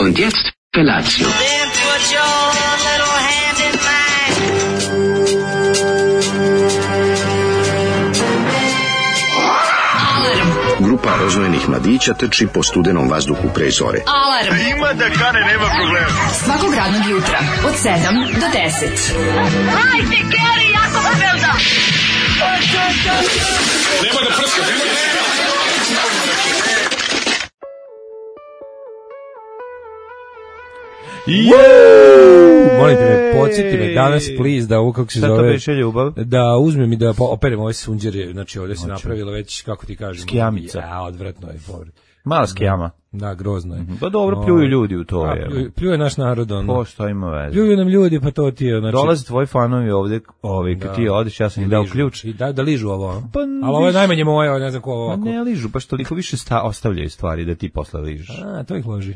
Und jetzt Felatio. Then put your little hand in mine. Grupa rozvojenih mladića trči po studenom vazduhu pre zore. Alarm. Ima da kane, nema problema. Svakog radnog jutra od 7 do 10. Hajde, Geri, jako se velda. Nema da prska, nema da prska. Molim te me, podsjeti me danas, please, da ovo kako se zove... Šta to beše ljubav? Da uzmem i da operem ove sunđere, znači ovdje se napravilo već, kako ti kažem... Skijamica. Ja, odvratno je. Mala skijama. Da, grozno je. Pa dobro, pljuju ljudi u to. Pljuje naš narod, ono. Po što ima veze? Pljuju nam ljudi, pa to ti je, znači... Dolaze tvoji fanovi ovdje, kad ti odeš, ja sam im dao ključ. I da ližu ovo, Pa, ali ovo je najmanje moje, ne znam ko ovako. Pa ne ližu, pa što toliko više ostavljaju stvari da ti posle ližeš. A, to ih loži.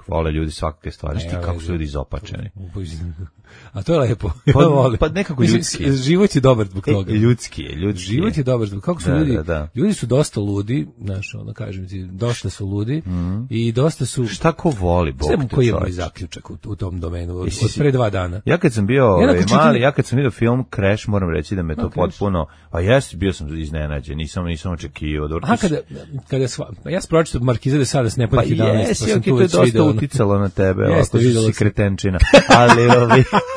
Vole ljudi svakakve stvari, šti kako su ljudi izopačeni. A to je lepo. Pa nekako ljudski. Život je dobar zbog toga. Ljudski je. Život je dobar zbog kako su ljudi. Ljudi su dosta ludi, znaš, ono kažem ti, dosta su ludi i dosta su... Šta ko voli, Bog te čovječ. Koji je moj zaključak u tom domenu od pre 2 dana. Ja kad sam bio mali, ja kad sam vidio film Crash, moram reći da me to potpuno... A jesi, bio sam iznenađen, nisam očekivao. A kada ja sam pročitao Markiza de Sade s Neponih 11, pa jesi, to je dosta uticalo na tebe, ovako si kretenčina.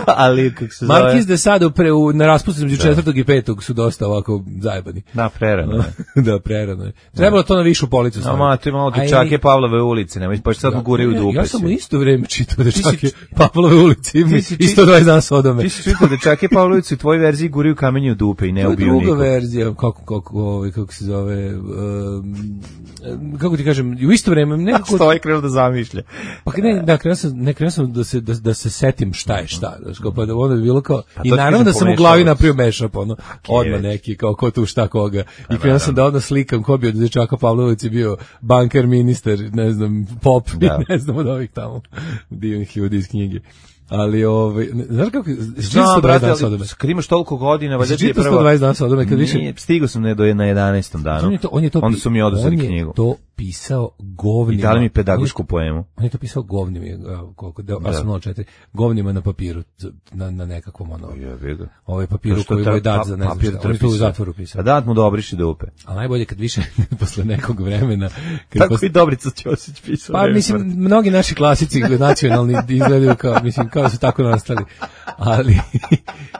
Ali kako se zove... Markiz de Sade na raspustu između 4. i 5. su dosta ovako zajebani. Da, prerano je. Da, prerano je. Trebalo to na višu policu staviti. Ma, to imamo dečake Pavlove ulice, nemoj, pa sad guraju dupe. Ja sam u isto vreme čitao dečake Pavlove ulici i 120 dana Sodome. Ti si čitao dečake Pavlove ulici, u tvojoj verziji guraju kamenje u dupe i ne ubiju nikog. Druga verzija, kako se zove, kako ti kažem, u isto vreme nekako... Što je krenuo da zamišlja? Pa krenuo sam da se setim šta je šta. Pa da ono bi bilo kao... I naravno da sam u glavi napravio mashup, ono, odmah neki, kao ko tu šta koga. I krenuo sam da odmah slikam ko bi od dečaka Pavlovici bio banker, ministar, ne znam, pop, ne znam od ovih tamo divnih ljudi iz knjige. Ali znaš kako znam, brate, ali kad imaš toliko godina, valjda ti je prvo 120 dana Sodome, kad više stigao sam na 11. danu. Onda su mi oduzeli knjigu. On je to pisao govnima. I dali mi pedagošku poemu. On je to pisao govnima, koliko da 4 govnima na papiru, na nekakvom ono. Ovaj papiru koji je dat za ne znam šta. On je to u zatvoru pisao. A dat mu da obriši dupe. A najbolje kad više posle nekog vremena. Tako i Dobrica Ćosić pisao. Pa mislim, mnogi naši klasici nacionalni izgledaju kao, mislim, kao su tako nastali.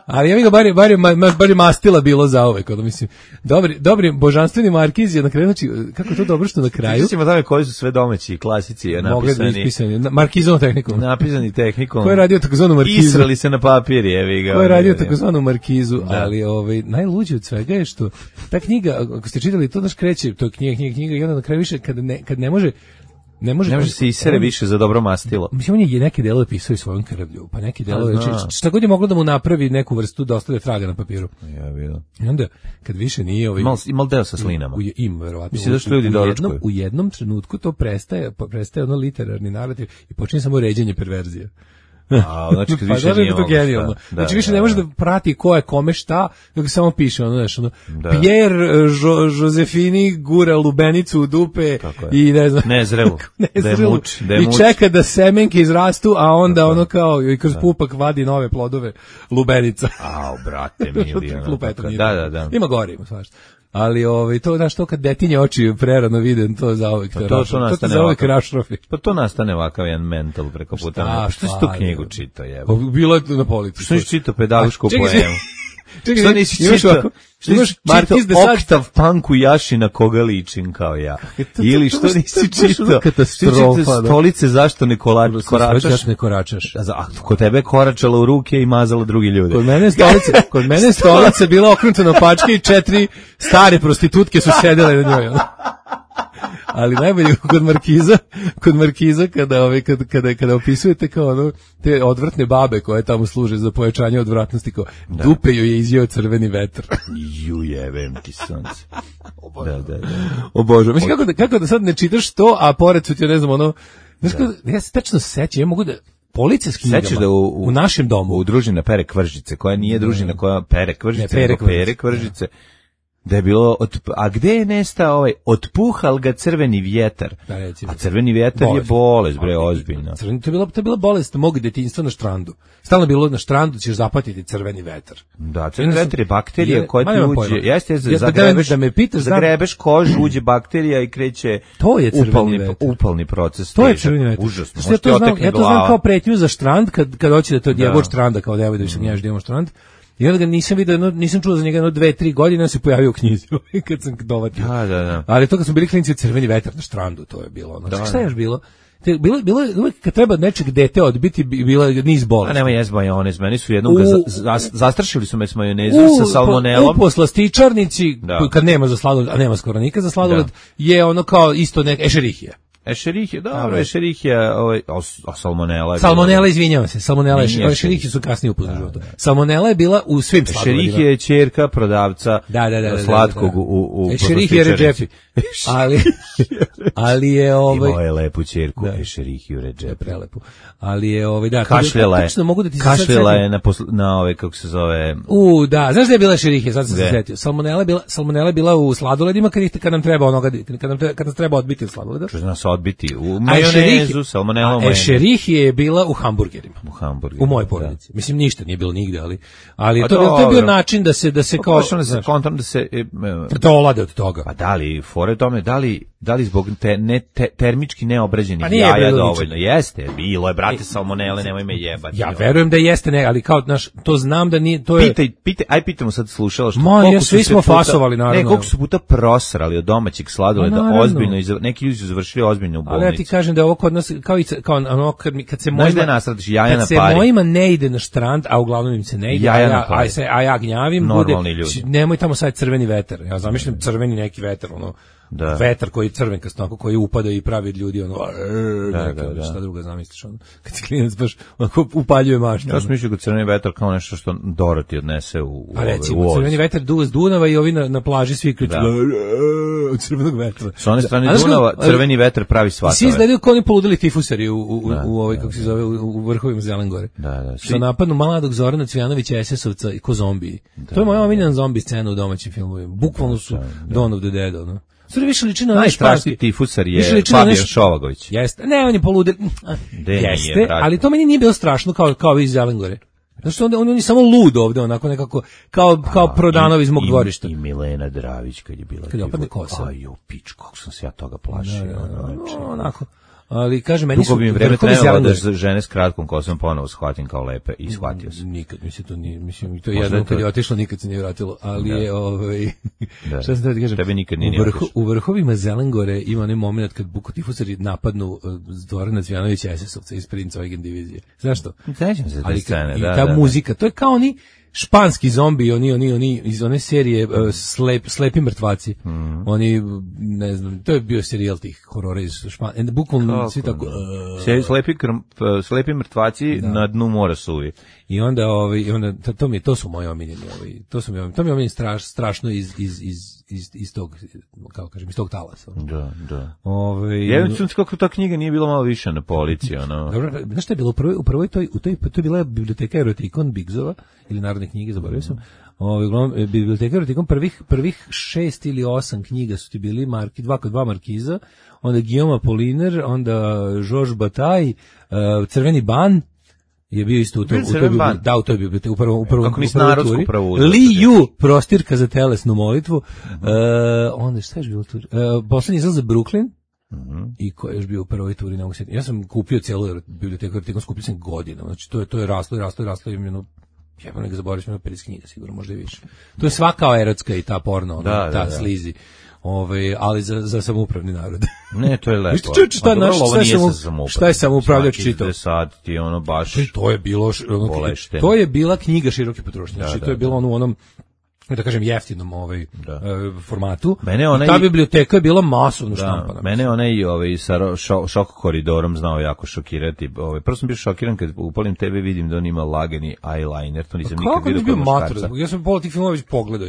Ali ja mi ga bar je mastila bilo za ove, kada mislim, dobri božanstveni Markiz je na kraju, znači, kako je to dobro što na kraju. Sjećamo tome koji su sve domaći klasici napisani. Markizovom tehnikom. Napisani tehnikom. Ko je radio takozvanu Markizu? Israli se na papir, jevi ga. Ko je radio takozvanu Markizu, ali najluđe od svega je što ta knjiga, ako ste čitali, to naš kreće, to je knjiga i onda na kraju više, kad ne može se isere više za dobro mastilo. Mislim, on je neke delove pisao i svojom krvlju, pa neki delove, šta god je moglo da mu napravi neku vrstu da ostavlja traga na papiru. Ja vidim. I onda, kad više nije... Imal deo sa slinama. Ima, verovatno. Mislim da što ljudi doručkuju. U jednom trenutku to prestaje ono literarni narativ i počinje samo ređenje perverzije. Znači kad više nije to genijalno. Znači više ne može da prati ko je kome šta, nego samo piše ono, znaš, Pierre Josefini gura lubenicu u dupe i ne znam, nezrelu. I čeka da semenke izrastu, a onda ono kao i kroz pupak vadi nove plodove lubenica. Brate mili. Da. Ima gore, ima svašta. Ali to znaš, to kad detinje oči prerano vide, to zauvek to zauvek rašrofi. Pa to nastane ovakav jedan mental preko puta. Što si tu knjigu čitao, jebo? Bilo je na polici. Što nisi čitao pedagošku poemu? Čekaj, što nisi čitao? Što nisi čitao Oktav Panku Jašina koga ličim kao ja? Ili što nisi čitao? Katastrofa. Stolice zašto ne koračaš? Ne koračaš. A kod tebe koračala u ruke i mazala drugi ljudi. Kod mene stolica bila okrenuta na pačke i 4 stare prostitutke su sedele na njoj. Ali najbolje kod Markiza kada opisujete kao ono te odvratne babe koje tamo služe za pojačanje odvratnosti, kao dupe joj je izjeo crveni vetar. Jebem ti sunce. Obožavam. Mislim kako da sad ne čitaš to, a pored su ti ne znam ono, znaš kako, ja se tačno sećam, ja mogu da police s knjigama. Sećaš da u našem domu u družina Pere Kvržice, koja nije družina koja Pere Kvržice, Pere Kvržice. Da je bilo, a gde je nestao otpuhal ga crveni vjetar? Da, recimo. A crveni vjetar je bolest, bre, ozbiljno. To je bila bolest mog detinjstva na štrandu. Stalno je bilo na štrandu, ćeš zapatiti crveni vetar. Da, crveni vetar je bakterija koja ti uđe. Jeste, zagrebeš kožu, uđe bakterija i kreće upalni proces. To je crveni vetar. Užasno. Ja to znam kao pretnju za štrand, kad hoće da te odjebe od štranda, kao nemoj da više gnjaš da imamo štrand. I onda ga nisam vidio, nisam čuo za njega 2-3 godine, on se pojavio u knjizi kad sam dovatio. Da. Ali to kad smo bili klinci, crveni vetar na štrandu, to je bilo. Znači, šta je još bilo? Bilo je uvek kad treba nečeg dete odbiti, bila niz bolesti. A nema jest majonez, meni su jednom zastrašili su me s majonezom sa salmonelom. U poslastičarnici, kad nema za sladoled, a nema skoro nikad za sladoled, je ono kao isto ešerihija. Ešerihija, dobro, ešerihija, a salmonela je Salmonela, izvinjavam se, salmonela, ešerihije su kasnije upoznali životu. Salmonela je bila u svim sladoledima. Ešerihija je ćerka prodavca slatkog u Ešerihija Redžepi. Ali je imao je lepu ćerku, Ešerihiju Redžepi. Prelepu. Ali je kašljela je na kako se zove. Da, znaš da je bila ešerihija, sad sam se sjetio. Salmonela je bila u sladoledima kad nam treba kad nas treba odbiti od sladoleda. Odbiti u majonezu, salmonelom. Ešerihije je bila u hamburgerima. U mojoj porodici. Mislim, ništa nije bilo nigde, ali to je bio način da se kao da se dolade od toga. Pa da li fore tome, da li zbog termički neobrađenih jaja dovoljno? Jeste, bilo je, brate, salmonele, nemoj me jebati. Ja verujem da jeste, ali kao, znaš, to znam da nije, to je... Pitamo sad slušalaš. svi smo fasovali, naravno. Koliko su puta prosrali od domaćeg sladoleda, ozbiljno, neki ljudi su završili ozbiljno u bolnici. Ali ja ti kažem da je ovo kod nas, kao ono, kad se mojima ne ide na štrand, a uglavnom im se ne ide, a ja gnjavim, bude, nemoj tamo sad crveni vetar. Ja zamišljam crveni neki vetar, ono, vetar koji je crvenkast, koji upada i pravi od ljudi, ono, šta druga zamisliš, ono, kad si klinac baš upaljuje maštu. Ja sam mislio da crveni vetar kao nešto što Dorothy odnese u pa recimo, crveni vetar duva s Dunava i ovi na plaži svi kriču od crvenog vetra. S one strane Dunava crveni vetar pravi svatove. Svi izgledaju kao oni poludeli tifusari u ovoj, kako se zove, u vrhovima Zelene gore. Što napadnu mladog Zorana Cvijanovića SS-ovca i ko zombiji. To je moja omiljena zombi scena u domaćim filmovima. Bukvalno su Dawn of the Dead, ono. Sve više liči na najstrašniji tifusar je Fabijan Šovagović. Jeste, ne, on je poludel. Jeste, ali to meni nije bilo strašno kao iz Zelengore. Zato što on je samo lud ovde, onako nekako, kao Prodanov iz mog dvorišta. I Milena Dravić kad je bila. Kad je opadne kosa. Aj, u pič, kako sam se ja toga plašio. Onako. Ali kaže meni dugo bi vreme trebalo da žene s kratkom kosom ponovo shvatim kao lepe i shvatio sam. Nikad mi se to nije, mislim, to je jedno kad je otišlo, nikad se nije vratilo, ali je šta sam da kažem, tebe nikad nije u vrhovima Zelengore ima onaj moment kad bukotifusari napadnu Zorana Cvijanovića SS-ovca iz Prince Eugen divizije. Znaš što? Sećam se te scene, da. Ta muzika, to je kao oni španski zombi, oni iz one serije Slepi mrtvaci. Oni, ne znam, to je bio serijal tih horora iz Španije. Bukvalno svi tako... Slepi mrtvaci na dnu mora suvi. I onda to su moji omiljeni, to mi je omiljeni strašno iz tog, kako kažem, iz tog talasa. Da. Jedan sam kako ta knjiga nije bila malo više na policiji, ono. Dobro, znaš šta je bilo u prvoj to je bila biblioteka Erotikon Bigzova ili Narodne knjige, zaboravio sam. Biblioteka Erotikon prvih 6 ili 8 knjiga su ti bili dva markiza, onda Guillaume Apollinaire, onda Georges Bataille, Crveni ban je bio isto u toj biblioteci, u prvom turi. Li Yu, prostirka za telesnu molitvu. Onda šta je bilo tu? Poslednji izlaz za Brooklyn. I ko je još bio u prvoj turi, ne mogu se. Ja sam kupio celu biblioteku, skupio sam godina. Znači to je raslo i imeno. Ja bih ne zaboravio sam 50 knjiga, sigurno, možda i više. To je svaka erotska i ta porno, ta slizi. Ali za samoupravni narod. Ne, to je lepo. Šta je samoupravljač čitao? Sad ti ono baš... To je bila knjiga široke potrošnje. Znači, to je bilo u onom, da kažem, jeftinom formatu. Ta biblioteka je bila masovno štampana. Mene sa šok koridorom znao jako šokirati. Prvo sam bio šokiran kad upalim tebe vidim da on ima lagani eyeliner. To nisam nikad vidio kod muškarca. Ja sam pola tih filmova već pogledao.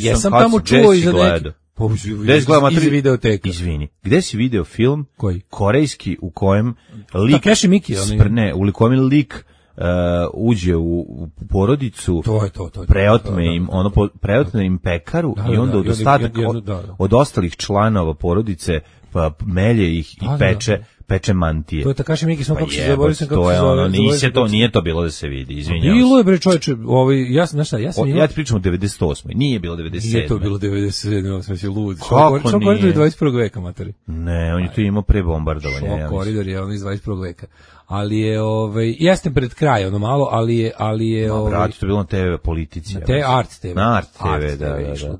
Jesam tamo čuo i za neki... iz videoteka. Izvini, gde si video film koji? Korejski u kojem lik Takeshi Miki, u kojem lik uđe u porodicu, preotme im pekaru i onda od ostatak od ostalih članova porodice pa melje ih i peče mantije. To je Takashi Miike, kako se zaboravio sam kako se zove. Nije to bilo da se vidi, izvinjavam. Bilo je bre čoveče, ja ti pričam o 98. Nije bilo 97. Nije to bilo 97. Sam se lud. Kako nije? Koridor je 21. veka, materi. Ne, on je tu imao pre bombardovanja. Koridor je on iz 21. veka. Ali je jeste pred kraj ono malo, ali je brate, to bilo na TV politici. Na te Art TV. Na Art TV,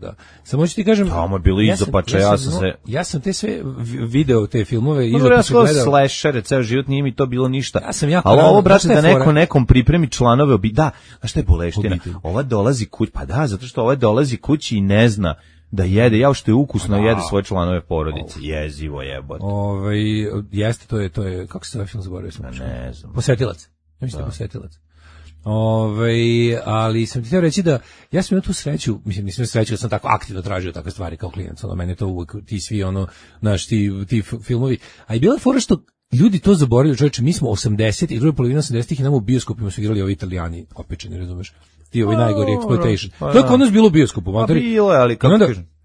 da. Samo ću ti kažem, tamo je bilo izopača, ja sam te sve video te filmove izopača gledao. Slashere, ceo život nije mi to bilo ništa. Ja sam jako. Ali ovo, brate, da nekom pripremi članove da, a šta je boleština? Ova dolazi kući, pa da, zato što ova dolazi kući i ne zna da jede, jao što je ukusno, jede svoje članove porodice. Jezivo jebote. Jeste, to je, kako se zove film, zaboravio sam. Ne znam. Posetilac. Ja mislim da Posetilac. Ali sam ti htio reći da ja sam imao tu sreću, nisam sreću da sam tako aktivno tražio takve stvari kao klijent, mene to uvijek, ti svi ti filmovi, a i bila je fora što ljudi to zaboravljaju, čovječe, mi smo 80 i druga polovina 80-ih i nam u bioskopima su igrali ovi Italijani opečeni, razumeš? Ti ovi najgori exploitation. To je kod nas bilo u bioskopu, materi. Bilo je, ali kako kažem?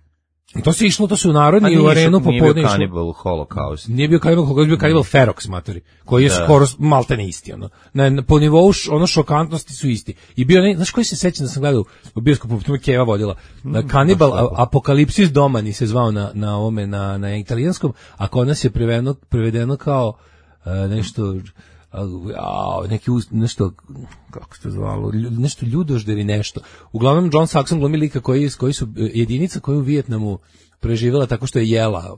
To se išlo, to su u narodni u arenu popodne išlo. Nije bio Cannibal Holocaust. Nije bio Cannibal Holocaust, bio Cannibal Ferox, materi, koji je skoro maltene isti, po nivou šokantnosti su isti. I bio, znaš koji se sećam da sam gledao u bioskopu, tu me Keva vodila, Cannibal Apokalipsis Domani se zvao na italijanskom, a kod nas je prevedeno kao nešto, nešto, kako se to zvalo, nešto ljudožder i nešto. Uglavnom John Saxon glumi lika koji su jedinica koju u Vijetnamu preživjela tako što je jela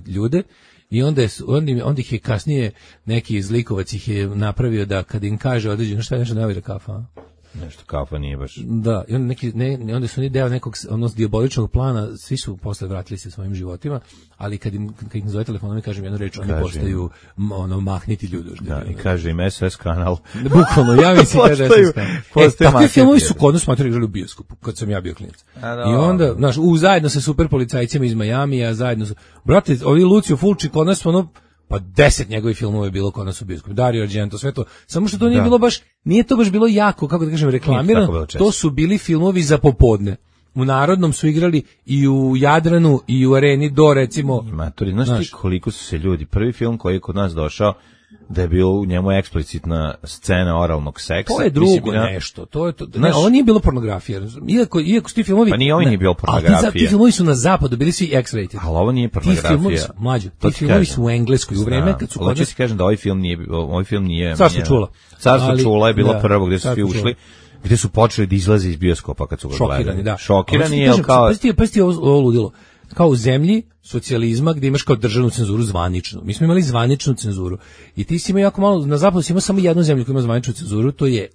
ljude i onda ih je kasnije neki zlikovac ih je napravio da kad im kaže određeno šta je nešto navira kafa. Nešto kafa nije baš. Da, i onda su oni deo nekog dijaboličnog plana, svi su posle vratili se svojim životima, ali kad im zove telefonom i kažem jednu reč, oni postaju mahniti ljudožde. Da, i kaže im SOS kanal. Bukvalno, ja mislim kaže SOS kanal. Takvi filmovi su kod nas smatrali igrali u bioskopu, kad sam ja bio klinac. I onda, znaš, zajedno sa super policajcima iz Majamija, zajedno su, brate, ovi Lucio Fulci kod nas pa 10 njegovih filmova je bilo kod nas u bioskopu. Dario Argento, sve to. Samo što to nije bilo baš, nije to baš bilo jako, kako da kažem, reklamirano. To su bili filmovi za popodne. U Narodnom su igrali i u Jadranu i u Areni do, recimo. Maturi, znaš ti koliko su se ljudi, prvi film koji je kod nas došao, da je bilo u njemu eksplicitna scena oralnog seksa. To je drugo nešto. Ovo nije bilo pornografija. Iako su ti filmovi... Pa nije ovo nije bilo pornografija. Ti filmovi su na zapadu bili svi X-rated. Ali ovo nije pornografija. Ti filmovi su u Engleskoj. U vreme kad su... Hoću ti kažem da ovaj film nije... Carstvo čula. Carstvo čula je bilo prvo gdje su svi ušli. Gdje su počeli da izlaze iz bioskopa kad su ga gledali. Šokirani, da. Kao... Pasti ovo ludilo. Kao u zemlji socijalizma gdje imaš kao državnu cenzuru zvaničnu. Mi smo imali zvaničnu cenzuru. I ti si imao jako malo, na zapadu si imao samo jednu zemlju koja ima zvaničnu cenzuru, to je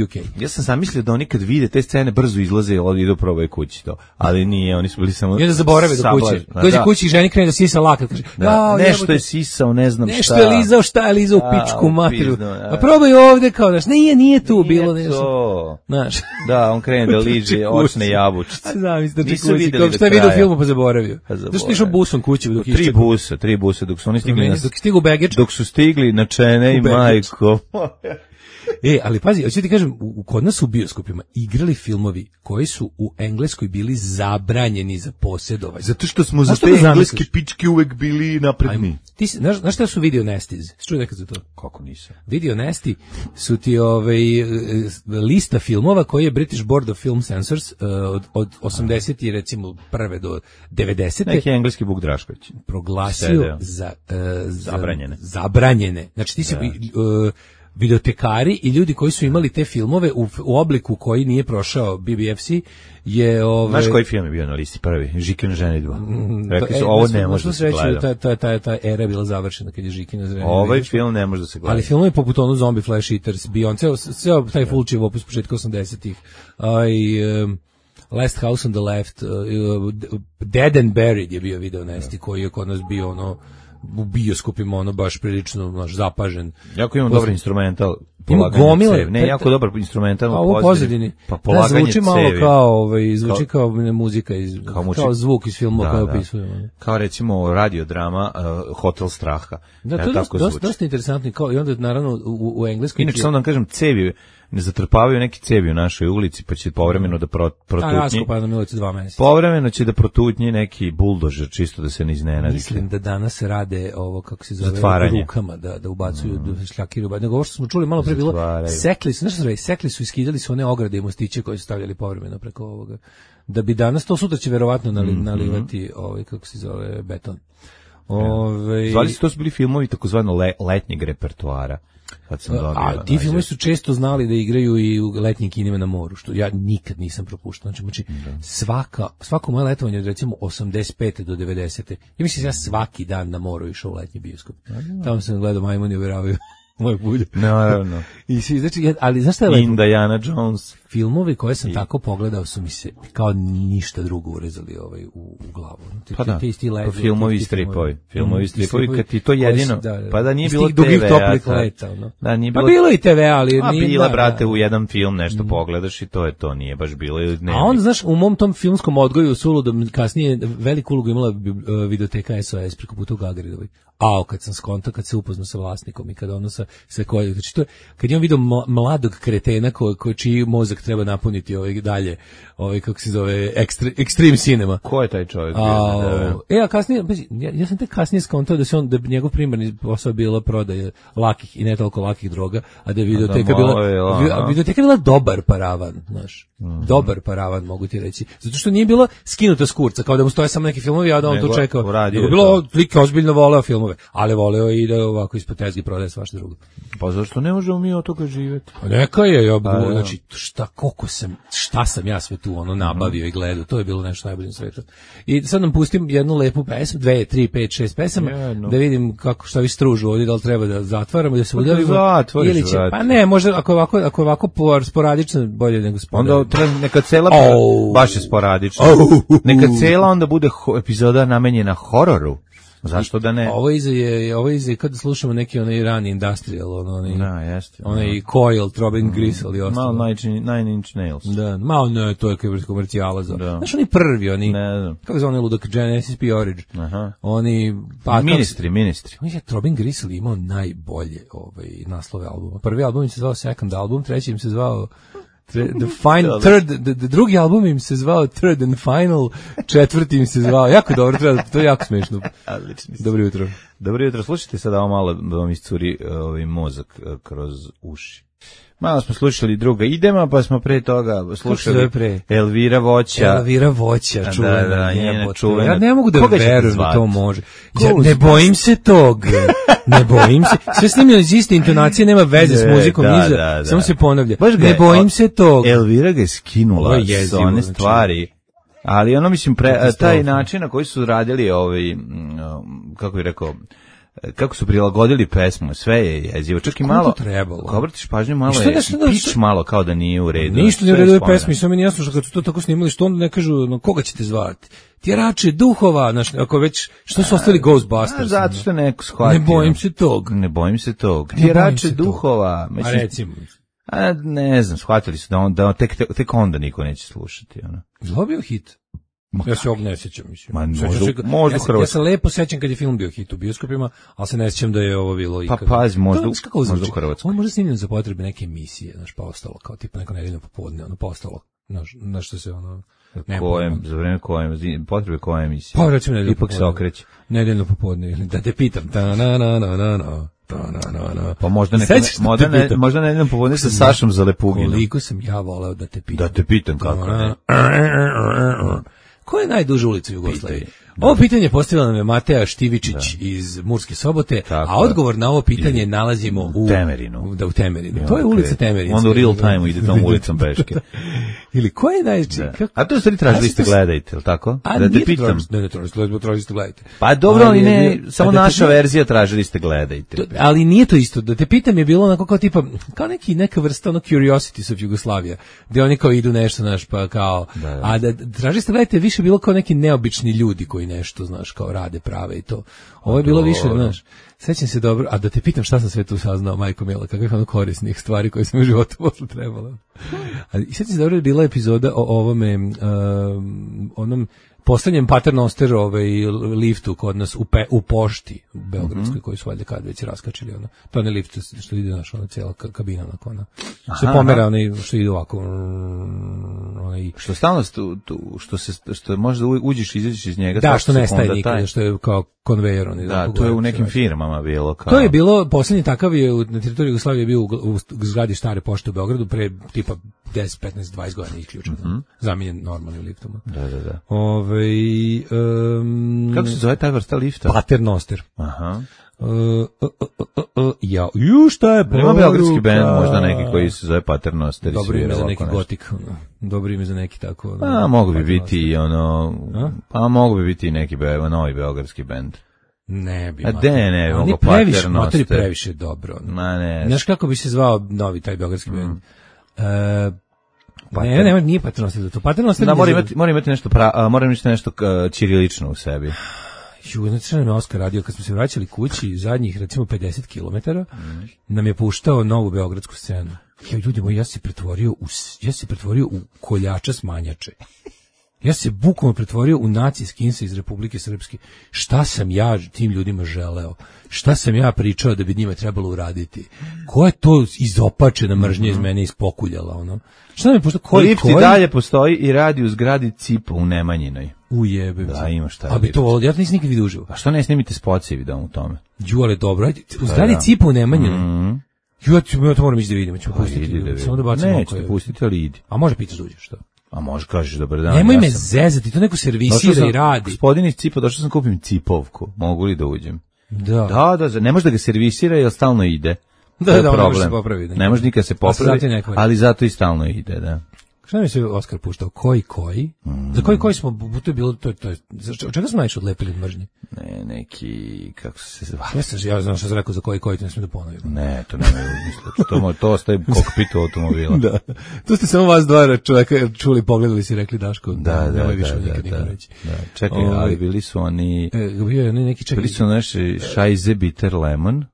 UK. Ja sam zamislio da oni kad vide te scene brzo izlaze i idu probaju kući to. Ali nije, oni su bili samo... I onda zaborave do kuće. Dođe kući i ženi krene da sisa lakat. Kaže, nešto je sisao, ne znam šta. Nešto je lizao, šta je lizao u pičku materiju. A probaj ovdje kao, znaš, nije tu bilo. Nije to. Da, on krene da liže očne jabučice. Nisu vidjeli do kraja. Šta je vidio u filmu pa zaboravio. Zašto ti išao busom kući dok išće? Tri busa, dok su oni stigli dok stigu Begeč. Dok su stigli na Čene i majko. Ali pazi, hoću ti kažem, kod nas u bioskopima igrali filmovi koji su u Engleskoj bili zabranjeni za posjedovanje. Zato što smo za te engleske pičke uvek bili napredni. Ti znaš šta su video nesties? Čuj nekad za to? Kako nisam? Video nesti su ti lista filmova koji je British Board of Film Censors od 80 i recimo prve do 90. Neki engleski Vuk Drašković proglasio za zabranjene. Znači ti si videotekari i ljudi koji su imali te filmove u obliku koji nije prošao BBFC je... Znaš koji film je bio na listi prvi? Žikina ženidba. Rekli su, ovo ne može da se gleda. Ta era je bila završena kad je Žikina ženidba. Ovaj film ne može da se gleda. Ali film je poput ono Zombie Flash Eaters, Beyoncé, ceo taj Fulčijev opus početka 80-ih. Last House on the Left, Dead and Buried je bio video nesti koji je kod nas bio u bioskopima baš prilično zapažen. Jako imam dobar instrumental gomile. Ne, jako dobar instrumentalno u pozadini. Pa polaganje zvuči malo cevi. zvuči kao muzika, kao zvuk iz filma koji opisujemo. Kao recimo radiodrama Hotel straha. Da, to je dosta interesantno. I onda naravno u engleskom... Inače, samo da vam kažem, cevi ne zatrpavaju neki cevi u našoj ulici, pa će povremeno da protutnji. Raskopano nam je ulici 2 meseca. Povremeno će da protutnji neki buldožer, čisto da se ne iznenadite. Mislim da danas rade ovo, kako se zove, zatvaranje. Rukama, da ubacuju šljakiri. Nego ovo što smo čuli malo pre bilo, sekli su i skidali su one ograde i mostiće koje su stavljali povremeno preko ovoga. Da bi danas, to sutra će verovatno nalivati kako se zove, beton. Zvali su, to su bili filmovi takozvano letnjeg repertoara. Ti filmovi su često znali da igraju i u letnjim kinima na moru, što ja nikad nisam propuštao. Znači svako moje letovanje od recimo 85. do 90. Ja mislim ja svaki dan na moru išao u letnji bioskop. Tamo sam gledao Majmuni uvjeravaju moje bulje. Naravno. I svi, znači, ali znaš šta je lepo? Indiana Jones. Filmovi koje sam tako pogledao su mi se kao ništa drugo urezali u glavu. Pa da, filmovi i stripovi. Filmovi i stripovi, kad ti to jedino, pa da nije bilo TV. Dugih toplih leta, no. Da, nije bilo. Pa bilo i TV, ali nije. Bila, brate, u jedan film nešto pogledaš i to je to, nije baš bilo. A onda, znaš, u mom tom filmskom odgoju suludom kasnije veliku ulogu imala videoteka SOS preko puta u Gagaridovoj. Kad sam skonto, kad se upoznao sa vlasnikom i kad ono se koji, znači to je, kad imam vidio mladog kretena čiji mozak treba napuniti dalje, kako se zove, Extreme Cinema. Ko je taj čovjek? A kasnije, ja sam tek kasnije skontao da bi njegov primarni posao bila prodaja lakih i ne toliko lakih droga, a da je videoteka bila dobar paravan, znaš. Dobar paravan, mogu ti reći. Zato što nije bilo skinuta s kurca, kao da mu stoje samo neki filmovi, a da on to čekao. Nego bilo lik ozbiljno voleo filmove, ali voleo i da ovako ispod tezgi prodaje svašta drugo. Pa zašto ne možemo mi od toga živjeti? Neka je, znači, šta sam ja sve tu nabavio i gledao, to je bilo nešto najbolje na svijetu. I sad nam pustim jednu lepu pesmu, 2, 3, 5, 6 pesama, da vidim šta vi stružu ovdje, da li treba da zatvaramo, da se udavimo. Ili će, pa ne, možda ako je ovako sporadično, bolje nego sporadično. Onda neka cela, baš je sporadično, neka cela onda bude epizoda namenjena hororu. Zašto da ne? Ovo je kada slušamo neki onaj rani industrial, onaj Coil, Throbbing Gristle i ostalo. Malo Nine Inch Nails. Da, malo ne, to je komercijala. Znaš, oni prvi, kako zove onaj ludak, Genesis P. Origin. Oni... Ministri. Throbbing Gristle imao najbolje naslove albuma. Prvi album im se zvao Second Album, treći im se zvao drugi album im se zvao Third and Final, četvrti im se zvao, jako dobro, to je jako smiješno. Dobro jutro. Dobro jutro, slušajte sada ovo malo da vam iscuri mozak kroz uši. Malo smo slušali druga idema, pa smo pre toga slušali Elvira Voća, čuvena. Ja ne mogu da verujem da to može. Ne bojim se tog. Ne bojim se. Sve snimljeno iz iste intonacije, nema veze s muzikom, samo se ponavlja. Ne bojim se tog. Elvira ga je skinula s one stvari. Ali ono, mislim, taj način na koji su radili kako bih rekao, kako su prilagodili pesmu, sve je jezivo. Čak i malo, ako obratiš pažnju, malo je pič malo kao da nije u redu. Ništa nije u redu pesmi, sve mi nije jasno što kad su to tako snimali, što onda ne kažu koga ćete zvati. Tjerače duhova, ako već, što su ostali Ghostbusters? Zato što neko shvatio. Ne bojim se tog. Ne bojim se tog. Tjerače duhova. A recimo. Ne znam, shvatili su da tek onda niko neće slušati. Zlo bio hit? Ja se ovog ne sjećam, mislim. Možda u Hrvatskoj. Ja se lepo sjećam kad je film bio hit u bioskopima, ali se ne sjećam da je ovo bilo ikada. Pa pazi, možda u Hrvatskoj. On možda snimljen za potrebe neke emisije, pa ostalo, kao tipa neko nedeljno popodne, pa ostalo, na što se za vreme potrebe koje emisije? Pa recimo nedeljno popodne. Ipak se okreće. Nedeljno popodne, da te pitam, pa možda nedeljno popodne sa Sašom Zalepuginom. Koliko sam ja voleo da te pitam. Da te pitam kako ne. Ko je najduža ulica u Jugoslaviji? Ovo pitanje postavila nam je Mateja Štivičić iz Murske Sobote, a odgovor na ovo pitanje nalazimo u Temerinu. U Temerinu. To je ulica Temerin. Onda u real time ide tom ulicom peške. Ili ko je najveći? A to ste tražili ste gledajte, je li tako? Da te pitam. Ne, tražili ste gledajte. Pa dobro, ali ne, samo naša verzija tražili ste gledajte. Ali nije to isto. Da te pitam je bilo onako kao tipa, kao neka vrsta Curiosities of Jugoslavia, gdje oni kao idu nešto, pa kao, a da tražili ste gledajte više bilo kao neki neobični ljudi koji koji nešto, znaš, kao rade, prave i to. Ovo je bilo više, znaš, sećam se dobro, a da te pitam šta sam sve tu saznao, majko mila, kakvih ono korisnih stvari koje sam u životu posle trebala. I sećam se dobro je bila epizoda o ovome, onom poslednjem paternoster liftu kod nas u pošti u Beogradskoj, koji su valjda kad već raskačili, ono. To je ne lift što ide naša ona cijela kabina, onako, ona. Se pomera, onaj što ide ovako, onaj. Što stalno što možda uđeš i izađeš iz njega. Da, što nestaje nikada, što je kao konvejer. Da, to je u nekim firmama bilo. Kao... To je bilo, poslednji takav je na teritoriji Jugoslavije bio u zgradi stare pošte u Beogradu pre tipa 10, 15, 20 godina isključen. Zamenjen normalnim liftom. Da. Kako se zove taj vrsta lifta? Paternoster. Aha. Šta je ima beogradski bend, možda neki koji se zove Paternoster. Dobro ime za neki gotik, dobro ime za neki tako. Mogu bi biti mogu bi biti neki novi beogradski bend. Ne bi. Ne mogu Paternoster. Previše dobro. Znaš kako bi se zvao novi taj beogradski bend? Nije Paternoster za to. Paternoster mora imati nešto ćirilično u sebi. Znači nam je Oskar radio kad smo se vraćali kući zadnjih recimo 50 km, nam je puštao novu beogradsku scenu. Ljudi moji, ja se pretvorio u koljača smanjače. Ja se bukvalno pretvorio u naci skinsa iz Republike Srpske. Šta sam ja tim ljudima želeo? Šta sam ja pričao da bi njima trebalo uraditi? Ko je to izopačena mržnja iz mene ispokuljala, ono? Šta nam je puštao? Lift i dalje postoji i radi u zgradi Cipo u Nemanjinoj. Ujebem. Da, ima šta. A bi to, ja to nisam nikad vidio uživo. A što ne snimite spoci vidim u tome? Ale dobro, ajde, u zgradi Cipo u Nemanjinoj. Ja to moram ići da vidim, ćemo pustiti. Samo da bacimo oko. Nećete pustiti, ali idi. A može pitaš da uđeš, što? A može kažeš dobar dan. Nemoj me zezati, to neko servisira i radi. Gospodin iz Cipa, došao sam kupim cipovku. Mogu li da uđem? Da, ne može da ga servisira jer stalno ide. Da, ne može se popraviti. Ne može nikad se popraviti, ali zato i stalno ide, da. Šta mi se Oskar puštao? Koji? Za koji smo, to je bilo, to je, od čega smo najviše odlepili od mržnje? Ne, neki, kako se zva? Ja znam što sam rekao za koji, to ne smijem da ponovim. Ne, to nema misle, to ostaje u kokpitu automobila. Da, tu ste samo vas dva čovjeka čuli, pogledali si i rekli Daško, nemoj više nikad nikad reći. Čekaj, ali bili su oni, bili su naši Scheiße Bitter Lemon.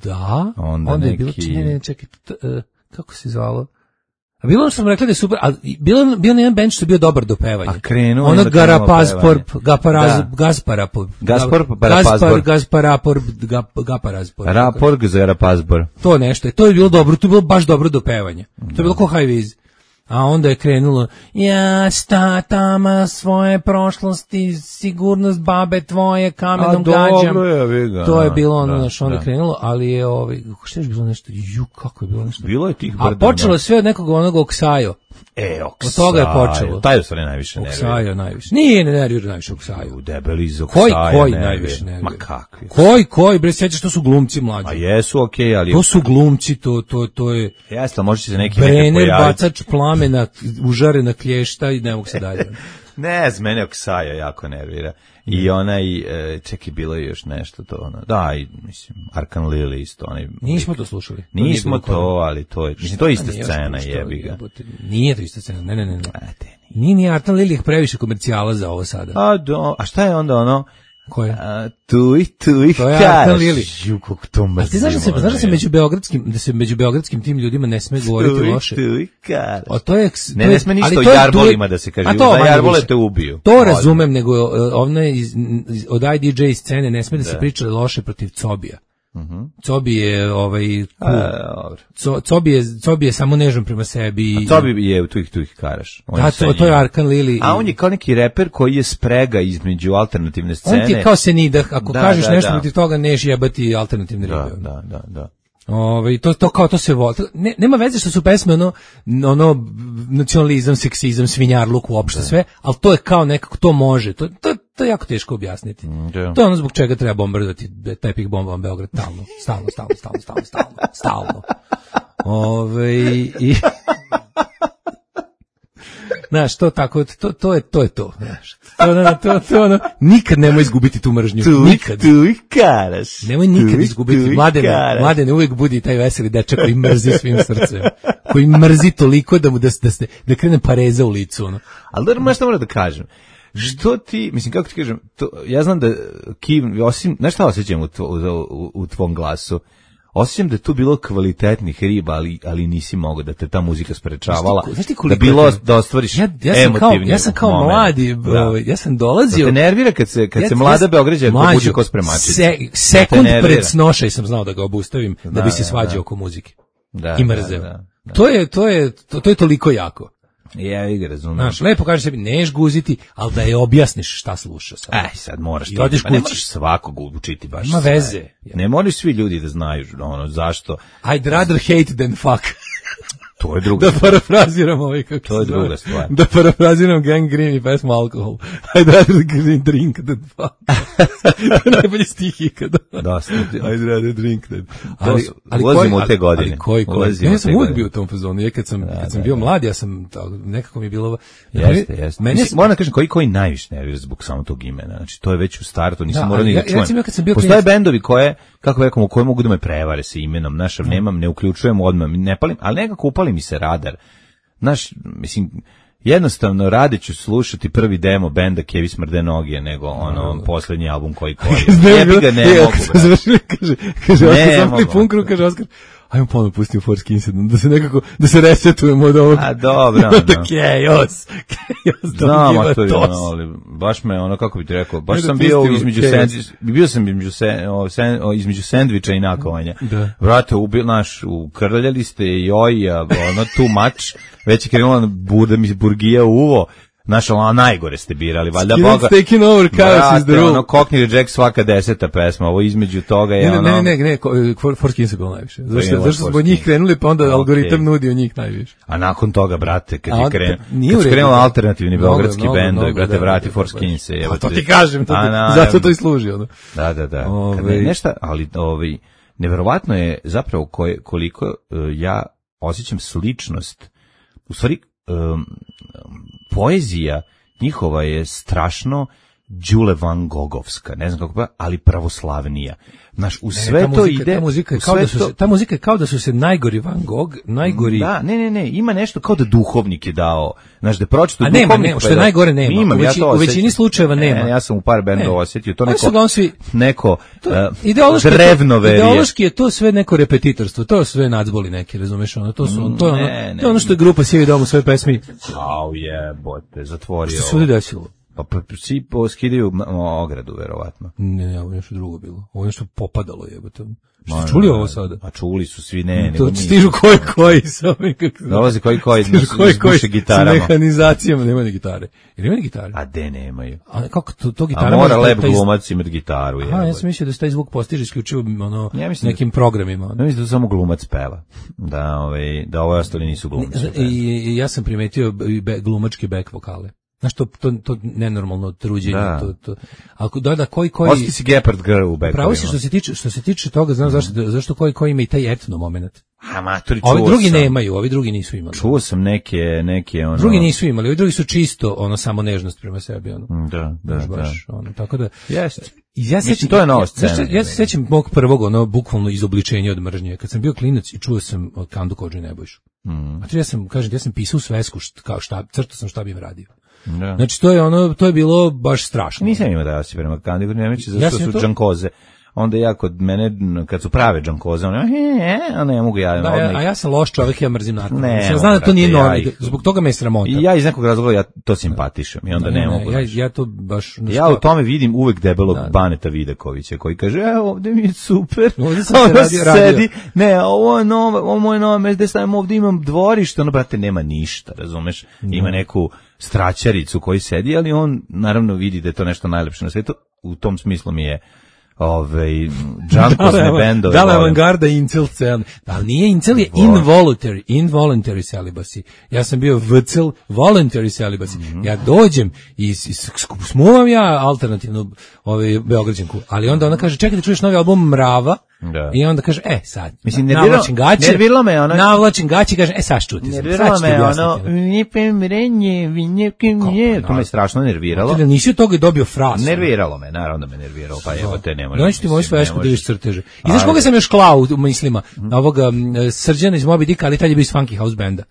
Da, onda je bilo, čekaj, kako se zvalo? A bilo ono što sam rekli da je super, a bio jedan band što je bio dobar do pevanja. A krenuo ono Gaparazpor. To nešto, to je bilo dobro, to je bilo baš dobro do pevanja. To je bilo ko High Viz. A onda je krenulo, ja statama svoje prošlosti, sigurnost babe tvoje kamenom gađam. To je bilo ono što onda je krenulo, ali je što je bilo nešto, kako je bilo nešto. Bilo je tih brda. A počelo je sve od nekog onog Oksajo. Oksajo. Od toga je počelo. Taj u stvari najviše nervira. Oksajo najviše. Nije nervira najviše Oksajo. Debeli iz Oksaja. Koji najviše nervira? Ma kakvi? Koji, bre, sjećaš, to su glumci mlađi. A jesu, okej, ali... To su glumci, to je... Jeste, može se neki Brenner, bacač plamena, užarena klješta i ne mogu se dalje. Ne, z mene Oksaja jako nervira. I onaj, čekaj, bilo je još nešto to, ono, da, i, mislim, Arkan Lili isto, onaj... Nismo to slušali. Nismo to, ali to je, mislim, to je ista scena, jebi ga. Nije to ista scena, ne. Nije Arkan Lili previše komercijala za ovo sada. A šta je onda ono? Koje? Tu ih Arkan Lili. Kako to mrzimo. A ti znaš da se među beogradskim tim ljudima ne sme govoriti loše? Tu ih karaš. Ne sme ništa o jarbolima da se kaže. Da jarbole te ubiju. To razumem, nego od IDJ scene ne sme da se priča loše protiv Cobija. Cobi je Cobi je samo nežan prema sebi. A Cobi je tu ih karaš. Da, to je Arkan Lili. A on je kao neki reper koji je sprega između alternativne scene. On ti je kao Senida, ako kažeš nešto protiv toga neš jebati alternativne ribe. Da. To se voli. Nema veze što su pesme ono nacionalizam, seksizam, svinjarluk, uopšte sve, ali to je kao nekako, to može. To je jako teško objasniti. To je ono zbog čega treba bombardovati tepih bombama Beograd stalno. Znaš, to tako, to je to. Znaš. To ono, nikad nemoj izgubiti tu mržnju. Nikad. Tu ih karaš. Nemoj nikad izgubiti. Mladene, uvijek budi taj veseli dečak koji mrzi svim srcem. Koji mrzi toliko da krene pareza u licu. Ono. Ali da, možda moram da kažem. što ti, mislim, kako ti kažem, ja znam da osim, znaš šta osjećam u tvom glasu? Osjećam da je tu bilo kvalitetnih riba, ali nisi mogao da te ta muzika sprečavala. Da bilo da ostvariš emotivni. Ja sam kao mladi, ja sam dolazio. Da te nervira kad se mlada Beograđanka buđe ko spremačica. Sekund pred snošaj sam znao da ga obustavim da bi se svađao oko muzike. I mrzeo. To je toliko jako. Ja ih razumem. Znaš, lepo kažeš sebi, neš guziti, ali da je objasniš šta sluša sad. Sad moraš to. Pa ne moraš svakog učiti baš. Ima veze. Ne moraš svi ljudi da znaju zašto. I'd rather hate than fuck. To je druga stvar. Da parafraziram ovaj kako to je druga stvar. Da parafraziram Gang Green i pesmu Alkohol. I'd rather drink than fuck. Najbolji stih ikada. Dosta. I'd rather drink than. Ali ulazimo u te godine. Ja sam uvijek bio u tom fazonu. Kad sam bio mlad, ja sam nekako mi je bilo... Jeste. Moram da kažem, koji najviše nervira zbog samo tog imena. Znači, to je već u startu, nisam morao ni da čujem. Postoje bendovi koje, kako rekamo, koje mogu da me prevare sa imenom. Znaš, ne uključujem odmah, ne palim, ali nekako upali mi se radar. Znaš, mislim, jednostavno rade ću slušati prvi demo benda Kevi Smrde noge nego poslednji album koji jebi ga ne mogu. Kaže Oskar Zampli Punkru, kaže Oskar, ajmo ponovno pustiti u Force Incident, da se nekako, da se resetujemo od ovog. A dobro, Chaos, znam, to je ali baš me kako bi ti rekao, baš sam bio između sendviča i nakovanja. Vrate, ukrljali ste joj, too much, već je krenula burgija uvo, znaš, najgore ste birali, valjda Boga. Skid's taking over, chaos is the rule. Cockney Reject svaka 10. pesma, ovo između toga je Ne, Force Incident najviše. Zašto smo njih krenuli, pa onda algoritam nudio njih najviše. A nakon toga, brate, kad je krenula alternativni beogradski bendovi, brate, vrati Force Incident. A to ti kažem, zato to i služi. Da. Kad je nešto, ali neverovatno je zapravo koliko ja osjećam sličnost, u stvari, poezija njihova je strašno Đule Van Gogovska, ne znam kako ali pravoslavnija. Znaš, u sve to ide... Ta muzika je kao da su se najgori Van Gogh, najgori... Da, ne, ima nešto kao da duhovnik je dao, znaš, da pročito duhovnik... A nema, što je najgore nema. U većini slučajeva nema. Ja sam u par bendova osjetio, to neko drevno verije. Ideološki je to sve neko repetitorstvo, to sve nacboli neki, razumeš, to je ono što je grupa Sivi dom u svojoj pesmi. Au jebote, zatvorio. Što se ovdje desilo? Pa svi poskidaju ogradu, verovatno. Ne, ovo je nešto drugo bilo. Ovo je nešto popadalo, jebote. Što čuli ovo sada? A čuli su svi, ne. To stižu koji sa ovim kako... Dolazi koji s gitarama. S mehanizacijama, nema ni gitare. Jer ima ni gitare? A de nemaju. A kako to gitara... A mora lep glumac imati gitaru. Ja sam mislio da se taj zvuk postiže isključivo nekim programima. Ne mislim da samo glumac peva. Da ove ostali nisu glumci. I ja sam primetio glumačke back vokale. Znaš, to nenormalno truđenje. Ako da koji... Osti si Gepard Girl u backovima. Pravo si što se tiče toga, znam zašto koji ima i taj etno moment. Ovi drugi nemaju, ovi drugi nisu imali. Čuo sam neke Drugi nisu imali, ovi drugi su čisto samo nežnost prema sebi. Da. Tako da... Jeste. Mislim, to je nova scena. Ja se sećam mog prvog, bukvalno izobličenja od mržnje. Kad sam bio klinac i čuo sam od Kandu Kodžu i Nebojšu. A to ja sam pisao svesku, kao crtao sam šta bih radio. Da. Znači to je bilo baš strašno. Nisam imao da ja si prema Kandi Kodžu i Nebojši, zašto su džankoze. Onda ja kod mene, kad su prave džankoze, ne mogu ja... A ja sam loš čovjek, ja mrzim narko. Ja znam da to nije normalno, zbog toga me je sramota. I ja iz nekog razloga ja to simpatišem i onda ne mogu. Ja to baš... Ja u tome vidim uvek debelog Baneta Vidakovića koji kaže, ovdje mi je super, ovdje sam se sedi, ovo je moje novo mesto, gde stavim ovdje, imam dvorište, brate, nema ništa, razumeš? Ima neku straćaricu koji sedi, ali on naravno vidi da je to nešto najlepše na svijetu, u tom smislu mi je džankozne bendove. Da li avangarda i incel scena? Ali nije incel, je involuntary celibacy. Ja sam bio vcel, voluntary celibacy. Ja dođem i smuvam ja alternativnu Beograđanku, ali onda ona kaže, čekaj da čuješ novi album Mrava, i onda kaže, sad, navlačim gaće, navlačim gaće, kaže, sad čuti. Nerviralo me, to me strašno nerviralo. Nisi od toga dobio frasu. Nerviralo me, naravno da me nerviralo, pa evo te ne možeš. Doći ti moju svesku da viš crteže. I znaš koga sam još klao u mislima? Ovoga Srđana iz Moby Dicka, ali tad je bio iz Funky House Banda.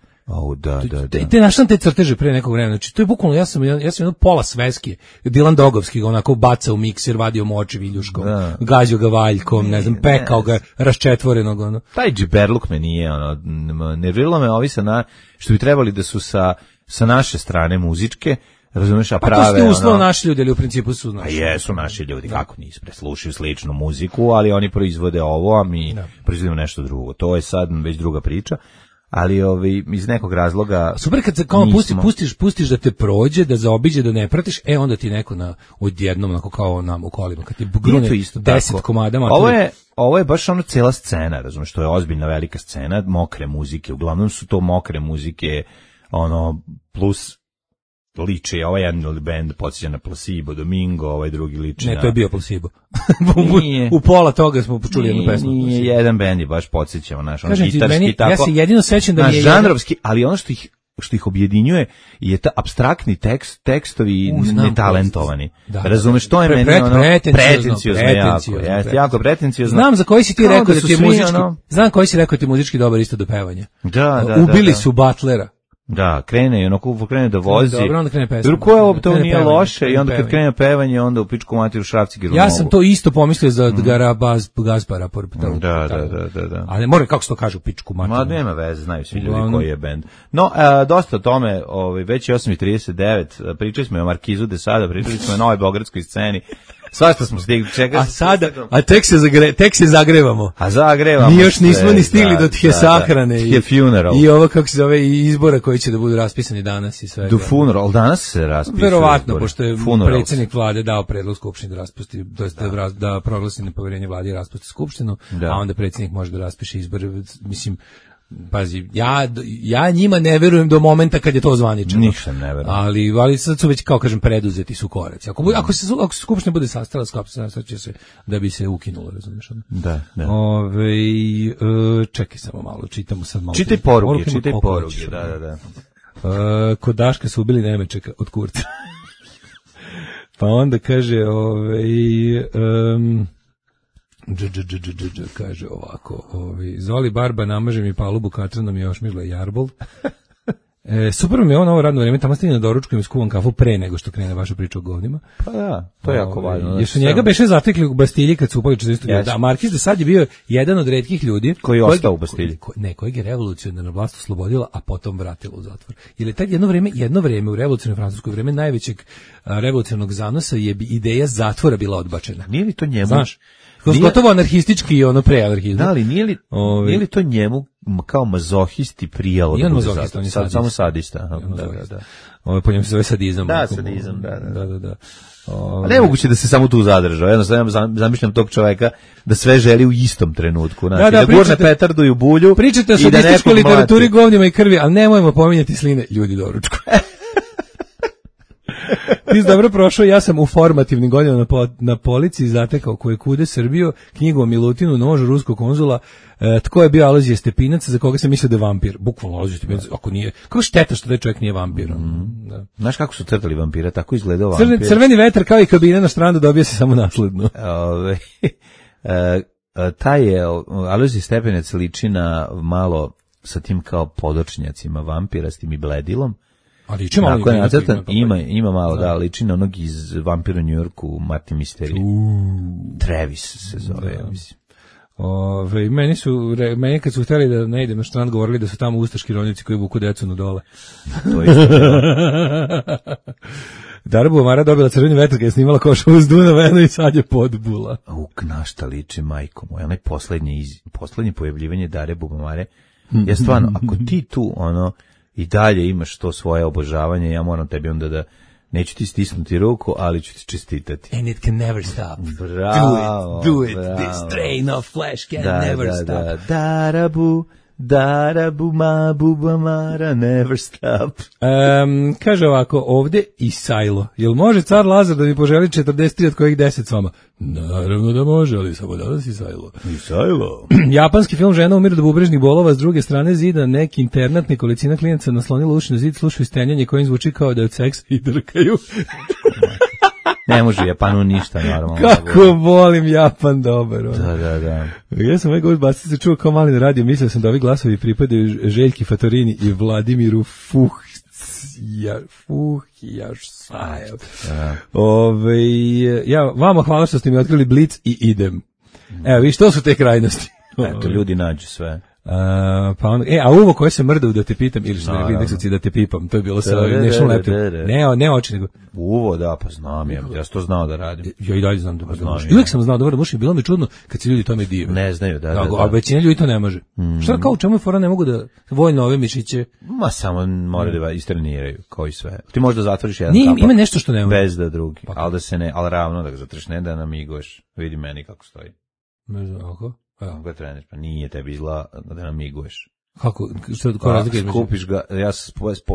Te našam te crteže pre nekog vremena. Znači to je bukvalno ja sam jedno pola sveske. Dilan Dogovski onako baca u mikser, vadio moči viljuškom, gađao ga valjkom, ne znam, pekao ga raščetvorenog ono. Taj džiberluk me nije nerviralo me ovi što bi trebali da su sa naše strane muzičke. Razumeš, a prave... Pa to ste uslov naši ljudi, ali u principu su naši. A jesu naši ljudi, kako nisu preslušaju sličnu muziku, ali oni proizvode ovo, a mi proizvodimo nešto drugo. To je sad već druga priča, ali iz nekog razloga... Super kad se kao pustiš da te prođe, da zaobiđe, da ne pratiš, onda ti neko odjednom, onako kao nam u kolima, kad ti grune 10 komada. Ovo je baš ono cela scena, razumeš, to je ozbiljna velika scena, mokre muzike, uglavnom su to mokre muzike, plus liči, ovaj jedan band podsjeća na Placebo, Domingo, ovaj drugi liči na... Ne, to je bio Placebo. U pola toga smo počuli jednu pesmu. Nije, jedan band je baš podsjećao, naš, ono gitarski tako. Ja se jedino sećam da mi je... žanrovski, ali ono što ih objedinjuje je ta apstraktni tekstovi netalentovani. Razumeš, to je meni pretenciozno jako pretenciozno. Znam za koji si ti rekao da ti je muzički, znam koji si rekao da ti je muzički dobar isto do pevanja. Ubili su Butlera. Da, krene da vozi. Dobro, onda krene pesma. Drugo je to nije loše i onda kad krene pevanje, onda u pičku materiju šrafci giru. Ja sam to isto pomislio za Gaspara. Da. Ali mora kako se to kaže u pičku materiju. Ma nema veze, znaju svi ljudi koji je bend. No, dosta o tome, već je 8:39, pričali smo o Markizu de Sada, pričali smo o Novoj Beogradskoj sceni. Svašta smo stigli, čekaj. A tek se zagrevamo. A zagrevamo. Mi još nismo ni stigli do tije sahrane i ovo kako se zove i izbora koji će da budu raspisani danas i sve. Do funeral, danas se raspisuje. Verovatno, pošto je predsjednik vlade dao predlog skupštini da raspusti, da proglasi nepoverenje vladi i raspusti skupštinu, a onda predsjednik može da raspiše izbore, mislim. Pazi, ja njima ne verujem do momenta kad je to zvanično. Ništa ne verujem. Ali sad su već, kao kažem, preduzeti su koraci. Ako se skupština bude sastala, će se da bi se ukinulo, razumiješ? Da. Čekaj samo malo, čitamo sad malo. Čitaj poruke, da. Kod Daška su ubili Nemečeka od Kurca. Pa onda kaže, kaže ovako, Zoli Barba namaže mi palubu katranom i ošmižla jarbol. Super mi je ovo radno vrijeme, tamo stignem na doručku i skuvam kafu pre nego što krene vaša priča o govnima. Pa da, to je jako važno. Jer su njega beše zatekli u Bastilji kad su upali 40. Da, Markiz de Sade je bio jedan od retkih ljudi koji je ostao u Bastilji. Kojeg je revolucionarna vlast oslobodila, a potom vratila u zatvor. Jer je tad jedno vrijeme u revolucionarnoj francuskoj vreme najvećeg revolucionarnog zanosa je ideja zatvora bila odbačena. Nije li to njemu? Znaš, gotovo anarhistički i ono preanarhizam. Da, ali nije li to njemu kao mazohisti prijalo da bude zato? Samo sadista. Da. Po njemu se zove sadizam. Da, sadizam, da. Nemoguće da se samo tu zadržao. Jednostavno zamišljam tog čoveka da sve želi u istom trenutku. Da gurne petardu i u bulju. Pričate o sadističkoj literaturi, govnima i krvi, ali nemojmo pominjati sline ljudi doručku. Ti si dobro prošao, ja sam u formativnim godinama na policiji zatekao koje kude Srbiju, knjigu o Milutinu, nož ruskog konzula, tko je bio Alojzije Stepinac, za koga se mislio da je vampir. Bukvalno Alojzije Stepinac, ako nije, kako šteta što taj čovjek nije vampir. Da. Znaš kako su crtali vampira, tako izgledao vampir. Crveni vetar kao i kabine na strandu dobija se samo nasledno. Taj je, Alojzije Stepinac liči na malo sa tim kao podočnjacima vampira, s tim i bledilom. Ali liči malo ima malo, da, liči na onog iz Vampira u New Yorku, Martin Mystery. Travis se zove, ja mislim. Meni kad su htjeli da ne idem na strand, govorili da su tamo ustaški ronjaci koji vuku decu na dole. To je isto. Dara Bubamara dobila crveni vetar kad je snimala Košovu uz Dunavenu i sad je podbula. Na šta liči, majko moja, onaj poslednje pojavljivanje Dare Bubamare. Ja stvarno, ako ti tu, i dalje imaš to svoje obožavanje, ja moram tebi onda da neću ti stisnuti ruku, ali ću ti čestitati. And it can never stop. Bravo. Do it. This train of flesh can never stop. Darabu ma Bubamara never stop. Kaže ovako, ovde i Sajlo. Jel može car Lazar da mi poželi 43 od kojih 10 s vama? Naravno da može, ali samo danas i Sajlo. Japanski film Žena umire od bubrežnih bolova, s druge strane zida neki internat, nekolicina klinaca naslonila uši na zid, slušaju stenjanje kojim zvuči kao da je od seksa i drkaju. Ne može u Japanu ništa normalno. Kako volim Japan, dobar. Da. Ja sam ovaj govor basta se čuo kao mali na radio, mislio sam da ovi glasovi pripadaju Željki Fatorini i Vladimiru Fuhjašsajev. Ja vama hvala što ste mi otkrili Blic i idem. Evo, vi što su te krajnosti? Eto, ljudi nađu sve. Pa on, a uvo koje se mrdao da te pitam, ili što rekli indeksovci da te pipam, to je bilo sa National Laptop. Ne oči, nego... Uvo, da, pa znam, ja sam to znao da radim. Ja i dalje znam da možeš. Uvijek sam znao da možeš, bilo mi čudno kad se ljudi tome dive. Ne znaju, da. A većina ljudi to ne može. Šta kao u čemu je fora, ne mogu da vojno ove mišiće? Ma samo moraju da istreniraju, kao i sve. Ti možda zatvoriš jedan kapak. Ima nešto što ne može. Bez da drugi, ali da se ne, ali ravno da ga zatvoriš, ne da namiguješ. Vidi meni kako stoji. Ne znam, ako? Kako treneš, pa nije tebi izgleda da namiguješ. Kako? Što razlika između? Skupiš ga, ja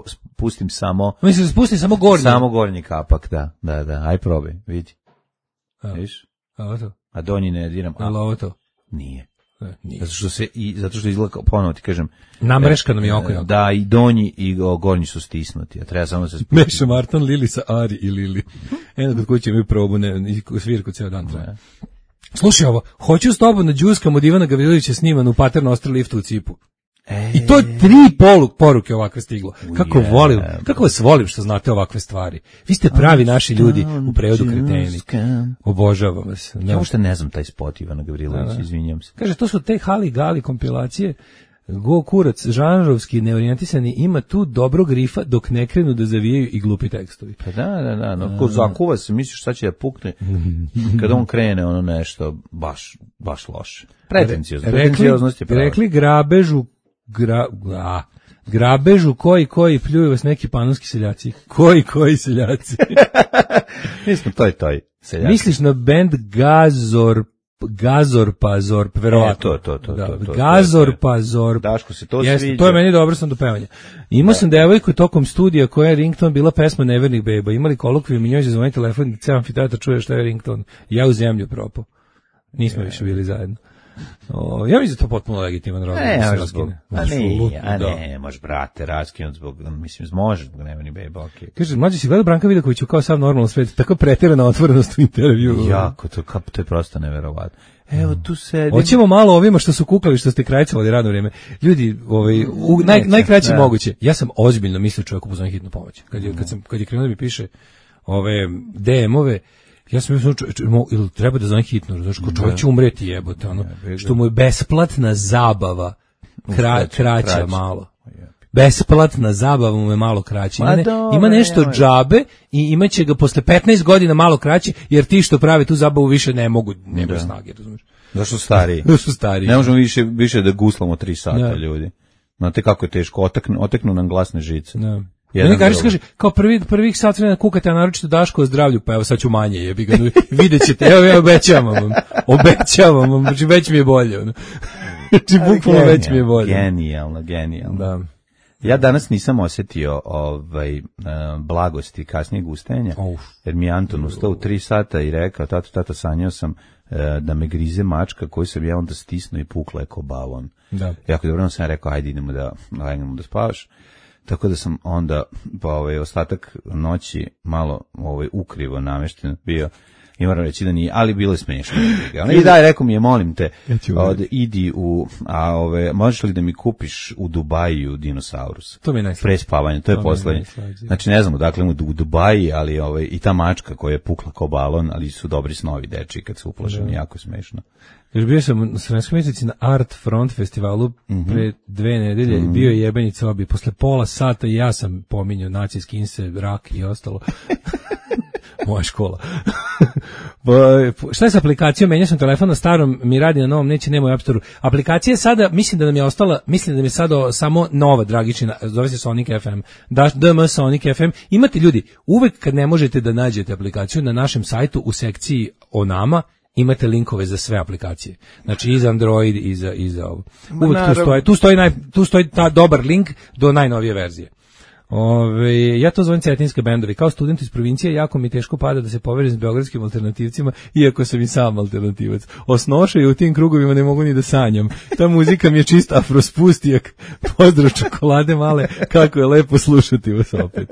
spustim samo... Mislim, spusti samo gornji? Samo gornji kapak, da. Aj probaj, vidi. Viš? A donji ne diram. Ali ovo to? Nije. Nije. Zato što izgleda, ponovo ti kažem... Namreškano mi oko. Da, i donji i gornji su stisnuti, a treba samo se spustiti. Meša Marton, Lili sa Ari i Lili. Eno kod kuće imaju probu, svirku ceo dan traje. Slušaj ovo, hoću s tobom na džuskam od Ivana Gavrilovića sniman u Paterno Ostro liftu u Cipu. I to je 3 poruke ovakve stiglo. Kako vas volim što znate ovakve stvari. Vi ste pravi naši ljudi u prevodu kreteni. Obožavam vas. Ja uopšte ne znam taj spot Ivana Gavrilovića, izvinjam se. Kaže, to su te Hali Gali kompilacije. Go kurac, žanrovski, neorijentisani, ima tu dobrog rifa dok ne krenu da zavijaju i glupi tekstovi. Pa da, no, ko zakuva se, misliš šta će da pukne, kada on krene ono nešto baš loše. Pretencioznost je pravo. Rekli grabežu koji pljuju vas neki panonski seljaci. Koji seljaci? Mislim, toj seljaci. Misliš na band Gazorpa, verovatno. To. Gazorpa. Daško se to sviđa. To je meni dobro, sam do pevanja. Imao sam devojku tokom studija koja je rington bila pesma Nevernih beba. Imali kolokvijum i njoj se zvoni telefon i ceo amfiteatar čuje šta je rington. Ja u zemlju propao. Nismo više bili zajedno. Ja mislim da to potpuno legitiman razlog da se raskine. Ne, može brate, raskinut zbog, mislim, može zbog Nevernih beba, okej. Kaže, mlađe si gledao Branka Vidakoviću kao sav normalno svet, tako preterana otvorenost u intervju. Jako, to je prosto neverovatno. Evo tu sedim. Hoćemo malo ovima što su kukali, što ste krajcovali radno vrijeme. Ljudi, najkraće moguće. Ja sam ozbiljno mislio čovjeku pozvani hitnu pomoć. Kad je krenuo da mi piše ove DM-ove, ja sam mislio, ili treba da zove hitno, znaš, ko čovjek će umreti jebote, ono, što mu je besplatna zabava kraća malo. Besplatna zabava mu je malo kraća. Ima nešto džabe i imaće ga posle 15 godina malo kraće, jer ti što prave tu zabavu više ne mogu snage, razumiješ? Zašto stariji? Ne možemo više da guslamo 3 sata, ljudi. Znate kako je teško, oteknu nam glasne žice. Kaže, kao prvih sat vremena kukate, a naročito Daško o zdravlju, pa evo sad ću manje, jebi ga, vidjet ćete, evo obećavam vam, znači već mi je bolje. Znači bukvalno već mi je bolje. Genijalno. Da. Ja danas nisam osjetio blagosti kasnijeg ustajanja, jer mi je Anton ustao u 3 sata i rekao, tata, sanjao sam da me grize mačka koju sam ja onda stisnuo i pukla je ko balon. Jako dobro sam rekao, ajde idemo da spavaš. Tako da sam onda ostatak noći malo ukrivo namešten bio i moram reći da nije, ali bilo je smiješno. I daj, rekao mi je, molim te, idi možeš li da mi kupiš u Dubaju dinosaurus? To mi je najslađe. Pre spavanja, to je poslednje. Znači ne znamo, dakle u Dubaji, ali i ta mačka koja je pukla kao balon, ali su dobri snovi deči kad se uplašeni, jako smiješno. Još bio sam na Sremskoj mjeseci na Art Front festivalu pre 2 nedelje, bio je jebenica obi, posle pola sata i ja sam pominjao nacijski inse, rak i ostalo. Moja škola. Šta je s aplikacijom? Menjao sam telefon na starom, mi radi na novom, nema u App Store-u. Aplikacija je sada, mislim da nam je sada samo nova Dragičina, zove se Sonic FM. DM Sonic FM. Imate ljudi, uvek kad ne možete da nađete aplikaciju na našem sajtu u sekciji o nama, imate linkove za sve aplikacije. Znači i za Android i za ovo. Uvek tu stoji ta dobar link do najnovije verzije. Ja to zovem cetinske bendovi. Kao student iz provincije jako mi teško pada da se povežem s beogradskim alternativcima, iako sam i sam alternativac. Osnoša i u tim krugovima ne mogu ni da sanjam. Ta muzika mi je čist afrospustijak. Pozdrav čokolade male, kako je lepo slušati vas opet.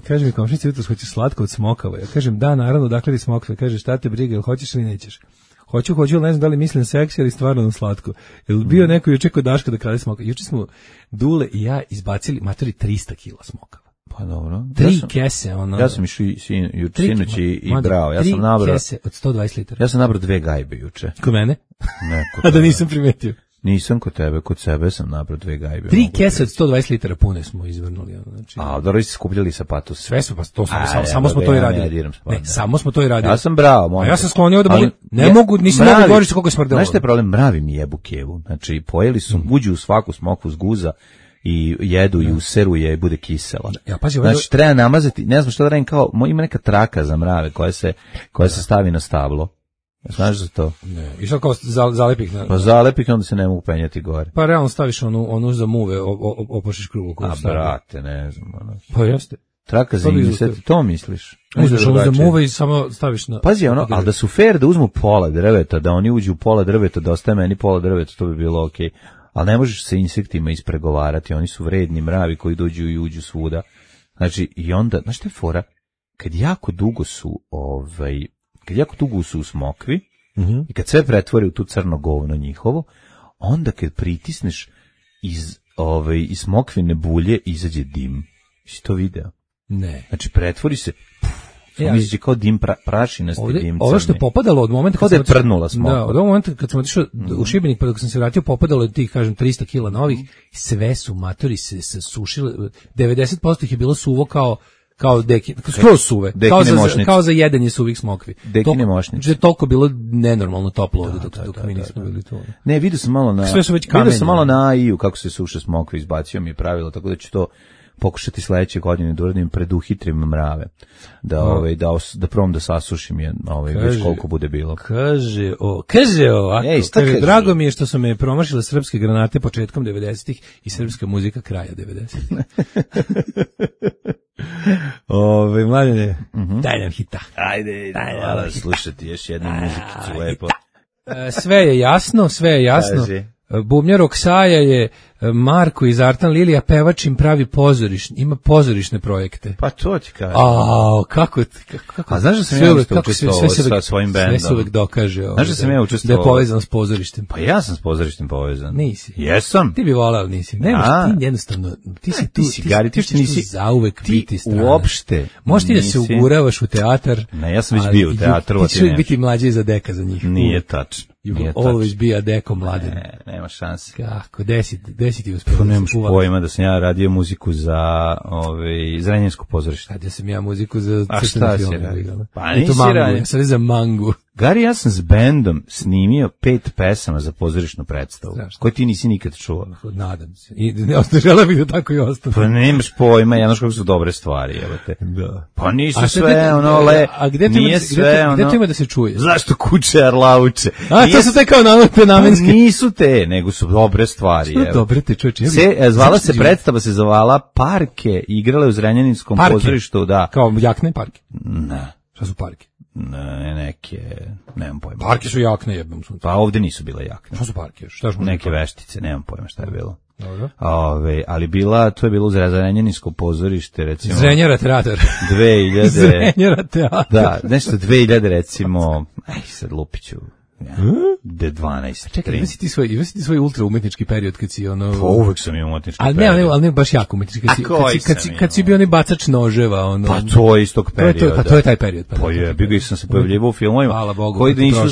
Kaže mi komšinica, jutros hoćeš slatko od smokava. Ja kažem, da, naravno, dakle ti smokava. Kaže, šta te briga, jel hoćeš ili nećeš? Hoću, ali ne znam da li mislim seksi ili stvarno na slatko. Jel bio neko juče kod Daška da krade smokava? Juče smo Dule i ja izbacili matori 300 kila smokava. Pa dobro. 3 kese, ono. Ja sam išao juče sinoć i brao. Ja sam nabrao 3 kese od 120 litara. Ja sam nabrao 2 gajbe juče. Kod mene? Ne, a da nisam primetio. Nisam kod tebe, kod sebe sam nabrao 2 gajbe. 3 kese od 120 litara pune smo izvrnuli. Znači. A, dobro, ste skupljali sa patos. Sve smo, pa to samo smo to i radili. Ne, samo smo to i radili. Ja sam brao. Ja sam sklonio da nisam mogu govoriti koliko je smrdelo. Znaš šta je problem? Mravi mi jebu kevu. Znači, pojeli su, uđu u svaku smokvu s guza i jedu i useru je i bude kisela. Ja, pazi, znači, treba namazati, ne znam što da radim, kao, ima neka traka za mrave koja se stavi na stablo. Znaš za to? Ne. I što kao zalepih? Pa zalepih, onda se ne mogu penjati gore. Pa realno staviš onu za muve, opošiš krugu. A brate, ne znam. Pa jeste. Traka za insekt, to misliš? Uzmeš ono za muve i samo staviš na... Pazi, ali da su fair da uzmu pola drveta, da oni uđu u pola drveta, da ostaje meni pola drveta, to bi bilo okej. Ali ne možeš sa insektima ispregovarati, oni su vredni mravi koji dođu i uđu svuda. Znači, i onda, znaš šta je fora? Kad jako dugo su u smokvi i kad sve pretvori u tu crno govno njihovo, onda kad pritisneš iz smokvine bulje izađe dim. Jesi to video? Ne. Znači pretvori se, izađe kao dim, prašinasti dim crni. Ovo što je popadalo od momenta kad da je prdnula smokva. Da, od ovog momenta kad sam otišao u Šibenik, pa dok sam se vratio, popadalo je tih, kažem, 300 kila novih, sve su matori se sušile, 90% ih je bilo suvo kao skroz suve, kao za jedenje suvih smokvi. Dekine mošnice. Znači je toliko bilo nenormalno toplo ovdje dok mi nismo bili tu. Ne, vidio sam malo na AI-u kako se suše smokve, izbacio mi je pravilo, tako da ću to pokušati sledeće godine da uradim, preduhitrim mrave. Da probam da sasušim je, već koliko bude bilo. Kaže drago mi je što su me promašile srpske granate početkom 90-ih i srpska muzika kraja 90-ih. Mladene, daj nam hita. Ajde, slušati još jednu muzikicu lepo. Sve je jasno. Bubnjar Oksaja je Marko iz Artan Lilija, pevač im pravi ima pozorišne projekte. Pa to ti kažem. Kako a znaš da sam ja učestvovao sa svojim bendom? Sve se uvek dokaže. Znaš da sam ja učestvovao? Da je povezan s pozorištem. Pa ja sam s pozorištem povezan. Nisi. Jesam. Ti bi volao, nisi. Nemaš, ti jednostavno, ti si tu, ti nisi zauvek biti strana. Uopšte. Možeš ti da se uguravaš u teatar. Ne, ja sam već bio u teatru. Ti ćeš biti mlađi za deka za njih. Nije tačno. You will always be a deko mladen. Nema šanse. Kako, desi ti uspio. To nemaš pojma da sam ja radio muziku za Zrenjansko pozorište. Radio sam ja muziku za crtene filme. Pa nisi radio. Sad je za Mangu. Gari, ja sam s bendom snimio 5 pesama za pozorišnu predstavu, koje ti nisi nikad čuo. Nadam se. I žele bih da tako i ostane. Pa nemaš pojma, jedno kako su dobre stvari, evo te. Da. Pa nisu sve nije sve Gde to ima da se čuje? Zašto kuće arlauče? To su te kao namenske. Nisu te, nego su dobre stvari. Što dobre te čoveče? Zvala se predstava, se zvala Parke, igrale u Zrenjaninskom pozorištu, da. Kao jakne parke? Ne. Šta su parke? Ne, neke, nemam pojma. Parke su jakne, jebam sunce. Pa ovde nisu bile jakne. Šta su parke? Neke veštice, nemam pojma šta je bilo. Dobro. Ali to je bilo u Zrenjaninsko pozorište, recimo. Zrenjara teatar. 2000. Zrenjara teatar. Da, nešto 2000, recimo, sad lupiću. 12. Čekaj, ima si ti svoj ultra umetnički period kad si ono... Pa uvek sam imao umetnički period. Ali ne baš jako umetnički. Kad si bio onaj bacač noževa, ono... Pa to je istog perioda. To je taj period. Pa je, bio sam se pojavljivao u filmovima koji nisu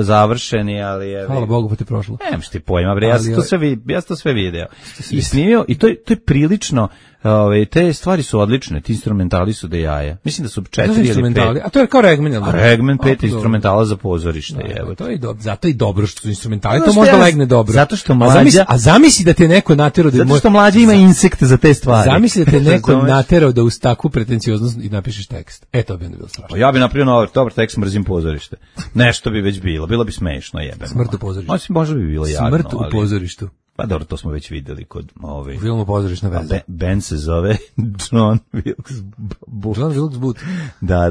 završeni, ali je... Hvala Bogu, pa ti prošlo. Nemam što ti pojma, bre, ja sam to sve video. I snimio, i to je prilično... te stvari su odlične, ti instrumentali su da jaja. Mislim da su 4 ili 5. A to je kao Regmen, jel? Regmen 5 instrumentala za pozorište, evo. To je dobro, zato je dobro što su instrumentali, to možda legne dobro. Zato što mlađa... A zamisli da te neko naterao da... Zato što mlađa ima insekte za te stvari. Zamisli da te neko naterao da uz takvu pretencioznost i napišeš tekst. To bi onda bilo strašno. Ja bi napravio dobar tekst, mrzim pozorište. Nešto bi već bilo bi smešno, jebeno. Smrt u pozorištu. Možda bi bilo jadno. Smrt u pozorištu. Pa dobro, to smo već videli kod ove... U filmu Pozorišna veza. Band se zove John Wilkes Booth. John Wilkes Booth. Da,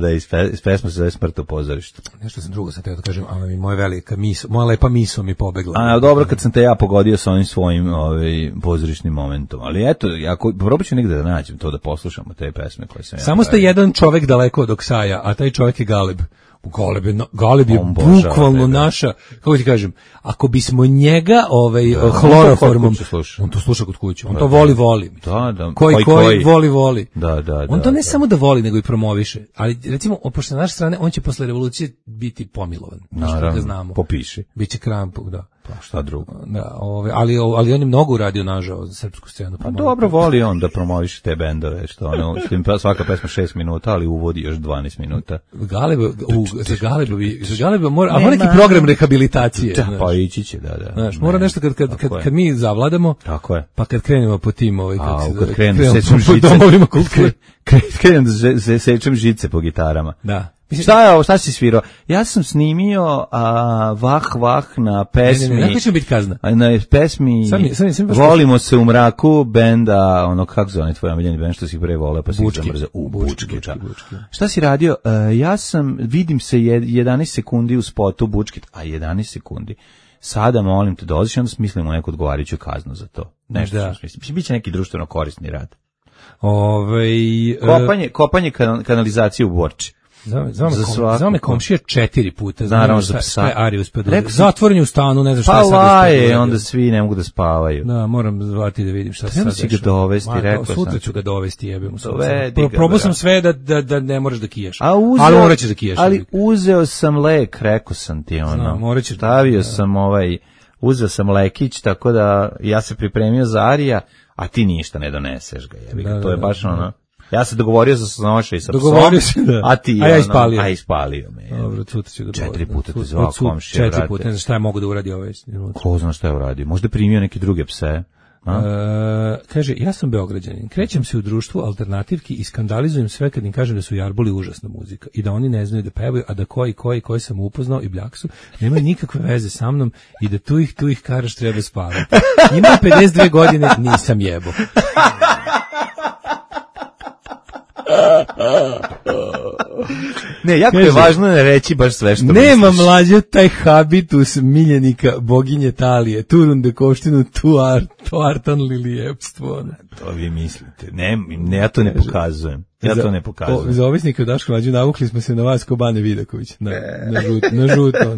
iz pesma se zove Smrt u pozorištu. Nešto sam drugo sad teo da kažem, ali moja velika moja lepa miso mi pobegla. A dobro, kad sam te ja pogodio sa onim svojim pozorišnim momentom. Ali eto, probat ću negde da nađem to, da poslušamo te pesme koje sam ja... Samo ste jedan čovek daleko od Oksaja, a taj čovek je Galeb. Galeb je bukvalno naša, kako ti kažem, ako bismo njega hloroformom, on to sluša kod kuće, on to voli. Da. Koji voli. Da. On to ne samo da voli, nego i promoviše. Ali recimo, pošto na naše strane, on će posle revolucije biti pomilovan. Naravno, ga znamo. Popiši. Biće Krampuk, da. Pa šta drugo. Da, ali on je mnogo uradio nažao za srpsku scenu. Pa dobro, voli on da promoviše te bendove, što im svaka pesma 6 minuta, ali uvodi još 12 minuta. Za Galeba mora, a mora neki program rehabilitacije. Da, pa ići će, da. Znaš, mora nešto kad mi zavladamo, tako je. Pa kad krenemo po tim kad krenemo da sečem žice po gitarama. Da. Šta je ovo, šta si svirao? Ja sam snimio Vah na pesmi. Ne, će biti kazna. Na pesmi Volimo se u mraku, benda, kako zove tvoj omiljeni bend što si pre voleo, pa si zamrzao. Bučki. Šta si radio? Ja vidim se 11 sekundi u spotu Bučkit, a 11 sekundi. Sada molim te dođeš i onda smislimo neku odgovarajuću kaznu za to. Nešto što smislim. Biće neki društveno korisni rad. Kopanje kanalizacije u Borči. Zove me komšija 4 puta. Naravno za psa. Zatvoren u stanu, ne znam šta sad. Pa laje, onda svi ne mogu da spavaju. Da, moram zvati da vidim šta se sad dešava. Treba si ga dovesti, rekao sam. Sutra ću ga dovesti, jebim. Probao sam sve da ne moraš da kijaš. Ali morat ćeš da kijaš. Ali uzeo sam lek, rekao sam ti stavio sam uzeo sam lekić, tako da ja se pripremio za Arija, a ti ništa ne doneseš ga, jebi ga. To je baš ja se dogovorio za snoša i sa psom, a ti ispalio me. Dobro, sutra ću ga 4 puta te zvao komšija, 4 puta, ne znam šta je mogu da uradi ovaj. Ko zna šta je uradio, možda primio neke druge pse. Kaže, ja sam Beograđanin, krećem se u društvu alternativki i skandalizujem sve kad im kažem da su Jarboli užasna muzika i da oni ne znaju da pevaju, a da koji sam upoznao i Bljaksu nemaju nikakve veze sa mnom i da tu ih karaš treba spavati. Imam 52 godine, nisam jebo. Ne, jako je važno ne reći baš sve što nema misliš. Mlađe taj habitus miljenika boginje Talije, turunde koštinu, tu artan lilijepstvo. To vi mislite. Ne, ja to ne pokazujem. Za ovisnike u Daško Mlađu navukli smo se na vas ko Bane Vidaković. Na žuto.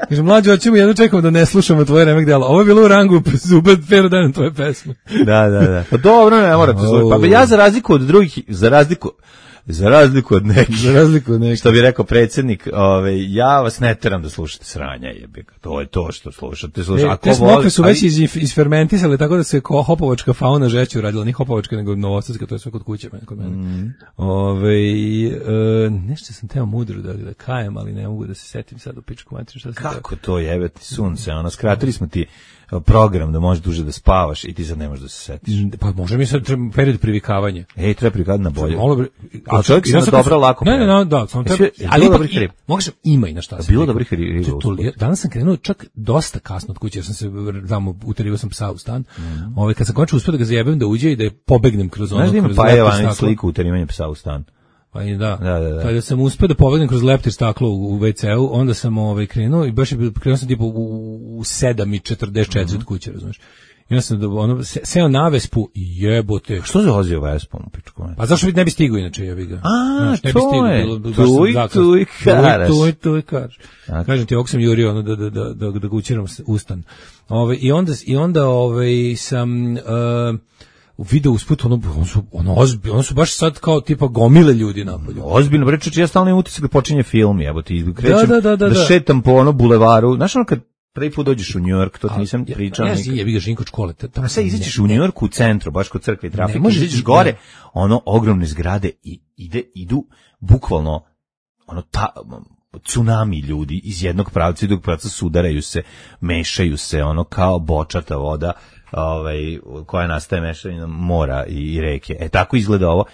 Kaže, Mlađe, hoćemo jedno čekamo da ne slušamo tvoje remek dela. Ovo je bilo u rangu Zubat Ferodan tvoje pesme. Da. Pa dobro, ne morate slušati. Pa ja za razliku od drugih, za razliku od nekih, što bi rekao predsjednik, ja vas ne teram da slušate sranja, jebiga. To je to što slušate. Te smokve su već isfermentisale, tako da se hopovačka fauna žeće uradila, ni hopovačka, nego novosadska, to je sve kod kuće kod mene. Nešto sam teo mudro da kajem, ali ne mogu da se setim sad u pičku materiju. Kako to jebeti sunce, skratili smo ti program da možeš duže da spavaš i ti sad ne možeš da se setiš. Pa može mi sad period privikavanja. Treba privikavati na bolje. A čovjek se dobro lako. Ne, da, samo treba. Ali možeš ima i na šta. Bilo dobrih riba. Danas sam krenuo čak dosta kasno od kuće, jer sam se tamo uterio sam psa u stan. Kad sam končio uspio da ga zajebem da uđe i da je pobegnem kroz ono. Znaš da ima Pajeva sliku uterivanja psa u stan. Pa i da. Kada sam uspio da pobegnem kroz leptir staklo u WC-u, onda sam krenuo i baš je krenuo sam tipa u 7:44 od kuće, razumiješ. I onda sam seo na Vespu i jebote. Što se vozio Vespom u pičku? Pa zašto ne bi stigao inače, ja bih ga. To je. Tu i karaš. Kažem ti, ovog sam jurio da ga učiram ustan. I onda sam video usput, ono su baš sad kao tipa gomile ljudi napolju. Ozbiljno, bre, ja stalno imam utisak da počinje film, ti krećem da šetam po bulevaru. Znaš kad prvi put dođeš u New York, to ti nisam pričao. Ja jebi ga Žinko od škole. A sad izađeš u New Yorku u centru, baš kod crkve i trafike, izađeš gore, ogromne zgrade i idu bukvalno tsunami ljudi iz jednog pravca i drugog pravca sudaraju se, mešaju se, kao bočata voda, koja nastaje mešanjem mora i reke. Tako izgleda ovo.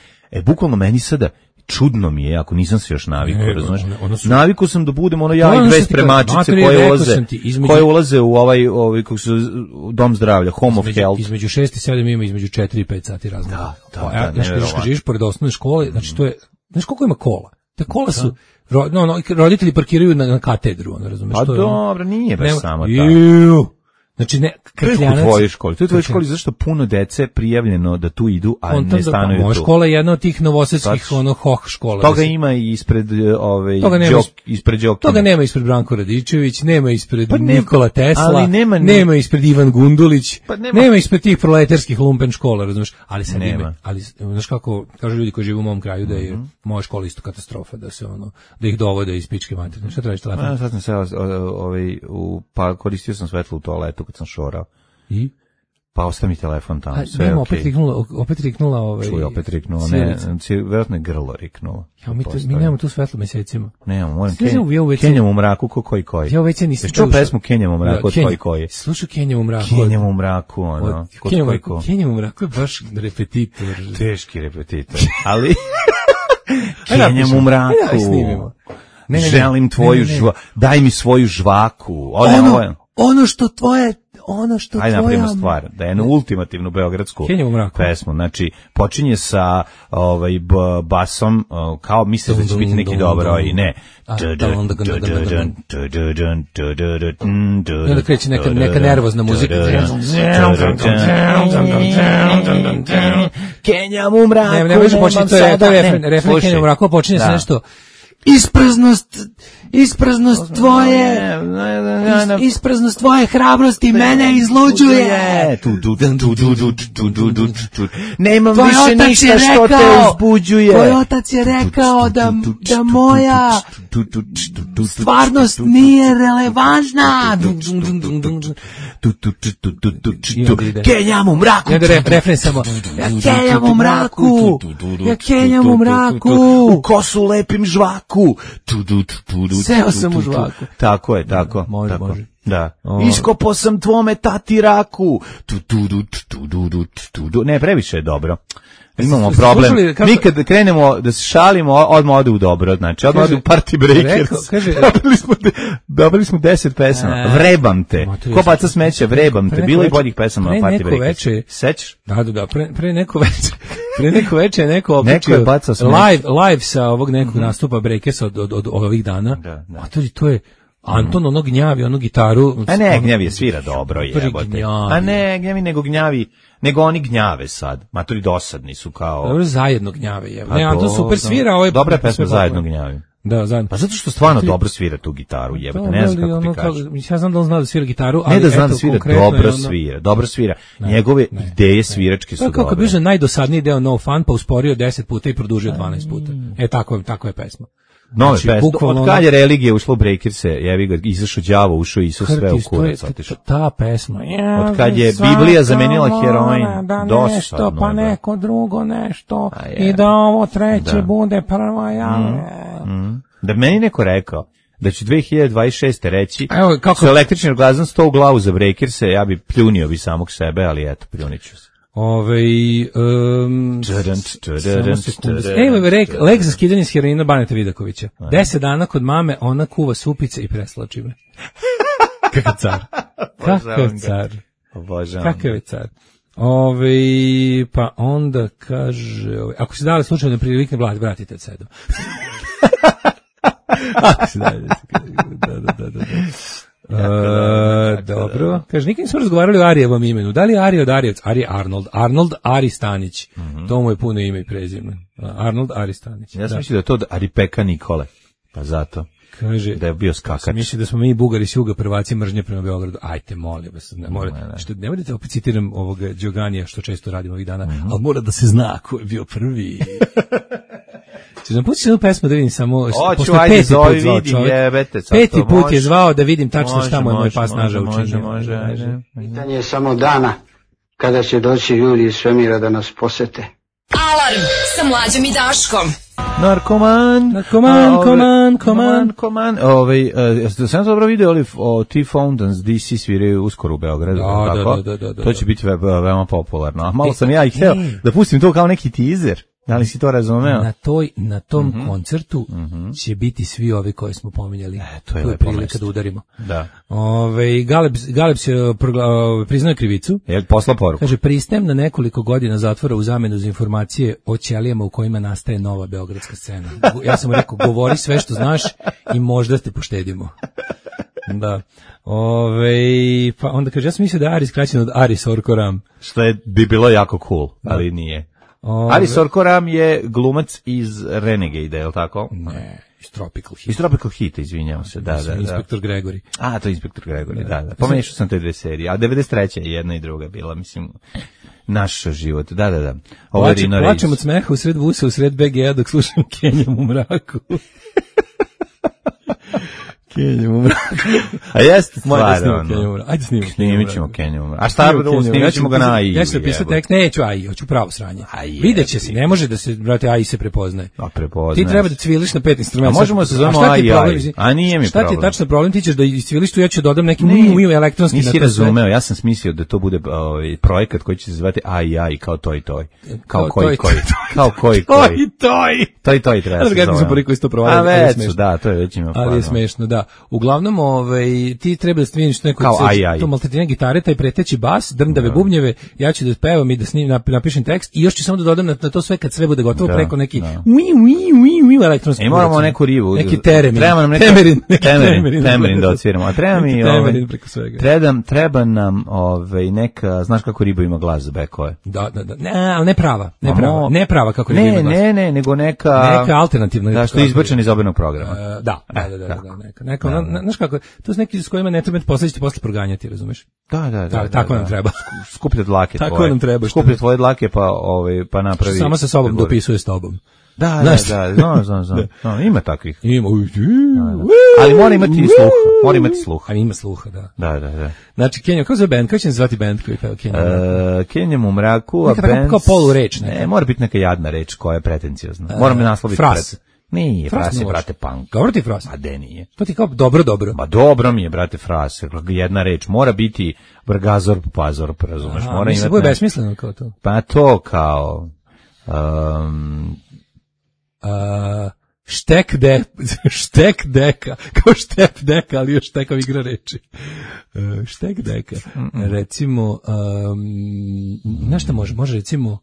Bukvalno meni sada čudno mi je, ako nisam se još navikao, razumeš? Navikao sam da budem ono ja i dve spremačice koje ulaze u ovaj kako se dom zdravlja, home of health. Između 6 i 7 ima između 4 i 5 sati razlika. Da. Kad živiš pored osnovne škole, znači to je, znaš koliko ima kola? Te kola su, roditelji parkiraju na katedru, ono, razumeš? Pa dobro, nije baš samo tako. Znači ne, Krkljanac. To je u tvojoj školi. To je u tvojoj školi zašto puno dece prijavljeno da tu idu, a ne stanuju tu. Moja škola je jedna od tih novosadskih hoh škola. Toga ima i ispred ispred Đoki. Toga nema ispred Branko Radičević, nema ispred Nikola Tesla, nema ispred Ivan Gundulić, nema ispred tih proletarskih lumpen škola, razumiješ? Ali sad ima. Ali znaš kako kažu ljudi koji žive u mom kraju da je moja škola isto katastrofa, da se da ih dovode iz pičke materine. Šta tražiš telefon? Sad sam se pa koristio sam svetlo u toaletu kad sam šorao. I? Pa ostavi mi telefon tamo, sve je okej. Opet riknula Čuj, opet riknula, ne, vjerojatno je grlo riknulo. Ja, mi nemamo tu svetlo mesecima. Nemamo, moram Kenjam u mraku, ko koji. Ja već nisam čuo pesmu Kenjam u mraku, od koji. Slušaj Kenjam u mraku. Kenjam u mraku, ono, kod Kenjam u mraku je baš repetitor. Teški repetitor, ali Kenjam u mraku. Želim tvoju daj mi svoju žvaku. Ono što tvoja... Ajde napravimo stvar, da je jednu ultimativnu beogradsku pesmu. Znači, počinje sa basom, kao misle da će biti neki dobro, i ne. I onda kreće neka nervozna muzika. Kenjam u mraku, ne može početi, to je refren Kenjam u mraku, počinje sa nešto... Ispraznost tvoje hrabrosti mene izluđuje. Nemam više ništa što te uzbuđuje. Tvoj otac je rekao da moja stvarnost nije relevantna. Kenjam u mraku. Refren samo. Ja kenjam u mraku. U kosu lepim žvaku. Seo sam u žvaku. Tako je, tako. Može. Da. Iskopo sam tvome tati raku. Ne, previše je dobro. Imamo problem. Mi kad krenemo da se šalimo, odmah ode u dobro, znači odmah ode u Party Breakers. Dobili smo 10 pesama. Vrebam te. Ko baca smeće, vrebam te. Bilo je boljih pesama na Party Breakers. Sećaš? Da. Pre neko veče je neko opičio live sa ovog nekog nastupa Breakersa od ovih dana. A to je Anton ono gnjavi, ono gitaru. A ne, gnjavi svira dobro, jebote. A ne, gnjavi nego oni gnjave sad. Matori dosadni su kao... Dobro, zajedno gnjave, jebote. Ne, Anton super svira. Dobra pesma zajedno gnjavi. Da, zajedno. Pa zato što stvarno dobro svira tu gitaru, jebote, ne znam kako ti kažeš. Ja znam da on zna da svira gitaru, ali ne da zna da svira, dobro svira. Njegove ideje sviračke su dobre. Kako bi bio najdosadniji deo No Fun, pa usporio 10 puta i produžio 12 puta. Tako je pesma. Nove pesme. Od kad je religija ušla u Breakerse, jevi ga, izašao đavo, ušao Isus, sve u kurac otišao. Ta pesma. Od kad je Biblija zamenila heroin, dosadno. Pa neko drugo nešto i da ovo treće bude prva Da meni neko rekao da će 2026. reći su električni orgazam 100 u glavu za Breakerse, ja bi pljunio bi samog sebe, ali eto, pljuniću se. Lek za skidanje s heroina Baneta Vidakovića. 10 dana kod mame, ona kuva supice i preslači me. Kakav car. Kakav je car. Pa onda kaže, ako se dali slučajno prilikne vratite sedom. Ako se dali, dobro. Kaže, nikad nismo razgovarali o Arijevom imenu. Da li je Ari od Arijevc? Ari Arnold Ari Stanić. To mu je puno ime i prezime. Arnold Ari Stanić. Ja sam mislio da je to Ari Peka Nikole. Pa zato. Kaže, da je bio skakač. Misli da smo mi Bugari s juga prvaci mržnje prema Beogradu. Ajte, molim vas. Ne morate opet citiram ovog Đoganija, što često radimo ovih dana, ali mora da se zna ko je bio prvi. Če nam pustiš jednu pesmu da vidim samo... Oću, ajde, zove, vidim, jebete. Peti put je zvao da vidim tačno šta mu je moj pas naža učinio. Može. Pitanje je samo dana kada će doći ljudi iz svemira da nas posete. Alarm sa Mlađom i Daškom. Narkoman. Sam dobro vidio o T-Fountains DC sviraju uskoro u Beogradu. Da. To će biti veoma popularno. A malo sam ja ih hteo da pustim to kao neki teaser. Da li si to razumeo? Na tom koncertu će biti svi ovi koje smo pominjali. To je prilika da udarimo. Da. Galeb se priznaje krivicu. Je posla poruku. Kaže, pristajem na nekoliko godina zatvora u zamenu za informacije o ćelijama u kojima nastaje nova beogradska scena. Ja sam mu rekao, govori sve što znaš i možda te poštedimo. Da. Pa onda kaže, ja sam mislio da je Aris kraćen od Aris Orkoram. Što bi bilo jako cool, ali nije. Aris Orkoram je glumac iz Renegade, je li tako? Ne, iz Tropical Heat. Iz Tropical Heat, izvinjam se, da. Inspektor Gregory. To je Inspektor Gregory, da. Pomešao sam te dve serije, a 93. je jedna i druga bila, mislim, naš život, da. Plačem od smeha usred busa, usred BG-a dok slušam Kenjam u mraku. Kenjam u mraku. A jeste stvarno. Ajde snimimo. Snimit ćemo Kenjam u mraku. A šta snimit ćemo ga na AI? Ja ću napisati tekst, neću AI, hoću pravo sranje. Vidjet će se, ne može da se, brate, AI se prepoznaje. Prepoznaje. Ti treba da cviliš na 5 instrumenta. A možemo se zovemo AI, a nije mi problem. Šta ti je tačno problem? Ti ćeš da iscviliš tu, ja ću dodam neki elektronski. Nisi razumeo, ja sam smislio da to bude projekat koji će se zvati AI, kao toj. Kao koji. Toj treba se zove. Da, to je već ima. Ali je smešno, da. Uglavnom, ti treba da stviniš neko to maltretiranje gitare, taj preteći bas, drndave bubnjeve, ja ću da pevam i da napišem tekst i još ću samo da dodam na to sve kad sve bude gotovo preko neki elektronski. Moramo neku rivu. Neki teremin. Temerin da odsviramo. A treba mi treba nam neka, znaš kako riba ima glas za bekove? Da. Ne prava kako riba ima glas. Ne, nego neka alternativna. Da, što je izbačen iz obenog programa. Da. Znaš kako, to su neki s kojima ne treba posle proganjati, razumeš? Da. Tako nam treba. Skuplje dlake tvoje. Tako nam treba. Skuplje tvoje dlake pa napravi. Samo sa sobom dopisuje s tobom. Da. Ima takvih. Ima. Ali mora imati sluha. Ima sluha, da. Da. Znači, Kenjam, kako zove band? Kako će se zvati band koji peva Kenjam? Kenjam u mraku, a band... Kao polu reč. Ne, mora biti neka jadna reč koja je pretencijozna. Moram me nasloviti. Fras. Nije, Fras je, brate, punk. Dobro ti Fras? A de nije. To ti kao dobro. Ma dobro mi je, brate, Fras. Jedna reč. Mora biti Brgazor, Pazor, razumeš? Mora imati... Bude besmisleno kao to. Pa to kao... štek deka, kao štep deka, ali još tekav igra reči. Štek deka. Recimo, znaš šta može recimo...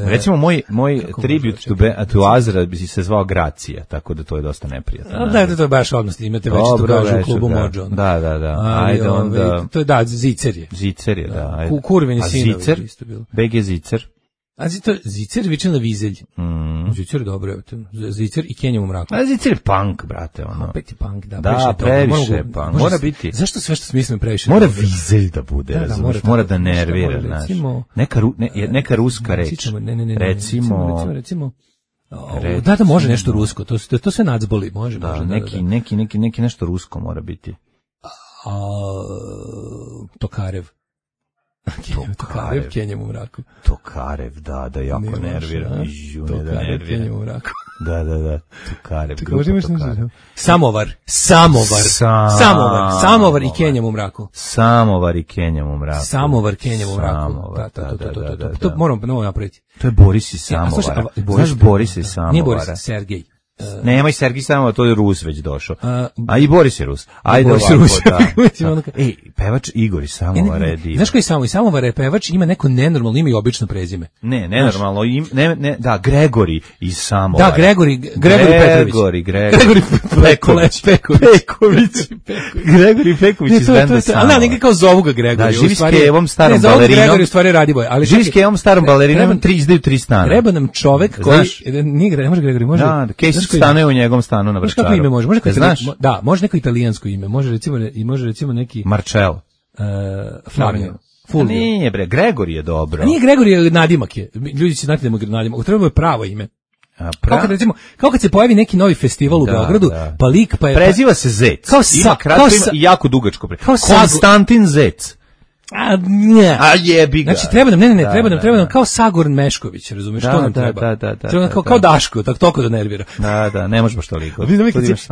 recimo moj tribut to Azra bi se zvao Gracija, tako da to je dosta neprijatno. Da, to je baš odnosno, imate već to kažu u klubu Mođo. Da. Ajde onda... To je, da, Zicer je. Da. Kurveni sinovi. A Zicer? BG Zicer? A Zicer viče na Vizelj. Zicer je dobro, Zicer i Kenjam u mraku. A Zicer je punk, brate, ono. Opet je punk, da. Da, previše je punk. Mora biti. Zašto sve što smislim previše? Mora Vizelj da bude, razumiješ. Mora da nervira, znaš. Neka ruska reč. Recimo, da, može nešto rusko. To sve nacboli, može. Da, neki nešto rusko mora biti. Tokarev. Kenjam u mraku. Tokarev, da, jako nervira. Tokarev, Kenjam u mraku. Da. Tokarev, grupa Tokarev. Samovar i Kenjam u mraku. Samovar i Kenjam u mraku. To moramo novo napraviti. To je Boris i Samovar. Znaš Boris i Samovar? Nije Boris, Sergej. Nemoj Sergij Samovar, to je Rus već došao. A i Boris je Rus. Ajde Boris ovako, da. Pevač Igor iz Samovara je divan. Znaš koji Samovar je pevač, ima neko nenormalno ime i obično prezime. Ne, nenormalno, da, Gregori iz Samovara. Da, Gregori Petrović. Gregori Peković iz benda Samovar. Ali ne, kao zovu ga Gregori. Da, živi s Kevom, starom balerinom. Ne, zovu Gregori, u stvari Radiboj. Živi s Kevom, starom balerinom, izdaju 3 stana. Treba nam čovek koji, ne može Gregori, može. Da, Kesić stanuje u njegovom stanu na Vrčaru. Kako ime može? Može neko italijansko ime, može recimo neki Marcello. Flavio. Nije bre, Gregori je dobro. Nije Gregori, je nadimak je. Ljudi će znati da mu nadimak. Treba je pravo ime. Kao kad se pojavi neki novi festival u Beogradu, pa lik pa je... Preziva se Zec. Ima kratko ime i jako dugačko. Konstantin Zec. A jebi ga. Znači treba nam, treba nam kao Sagor Mešković, razumeš, to nam treba. Treba nam kao Daško, tako da nervira. Da, ne možeš baš toliko.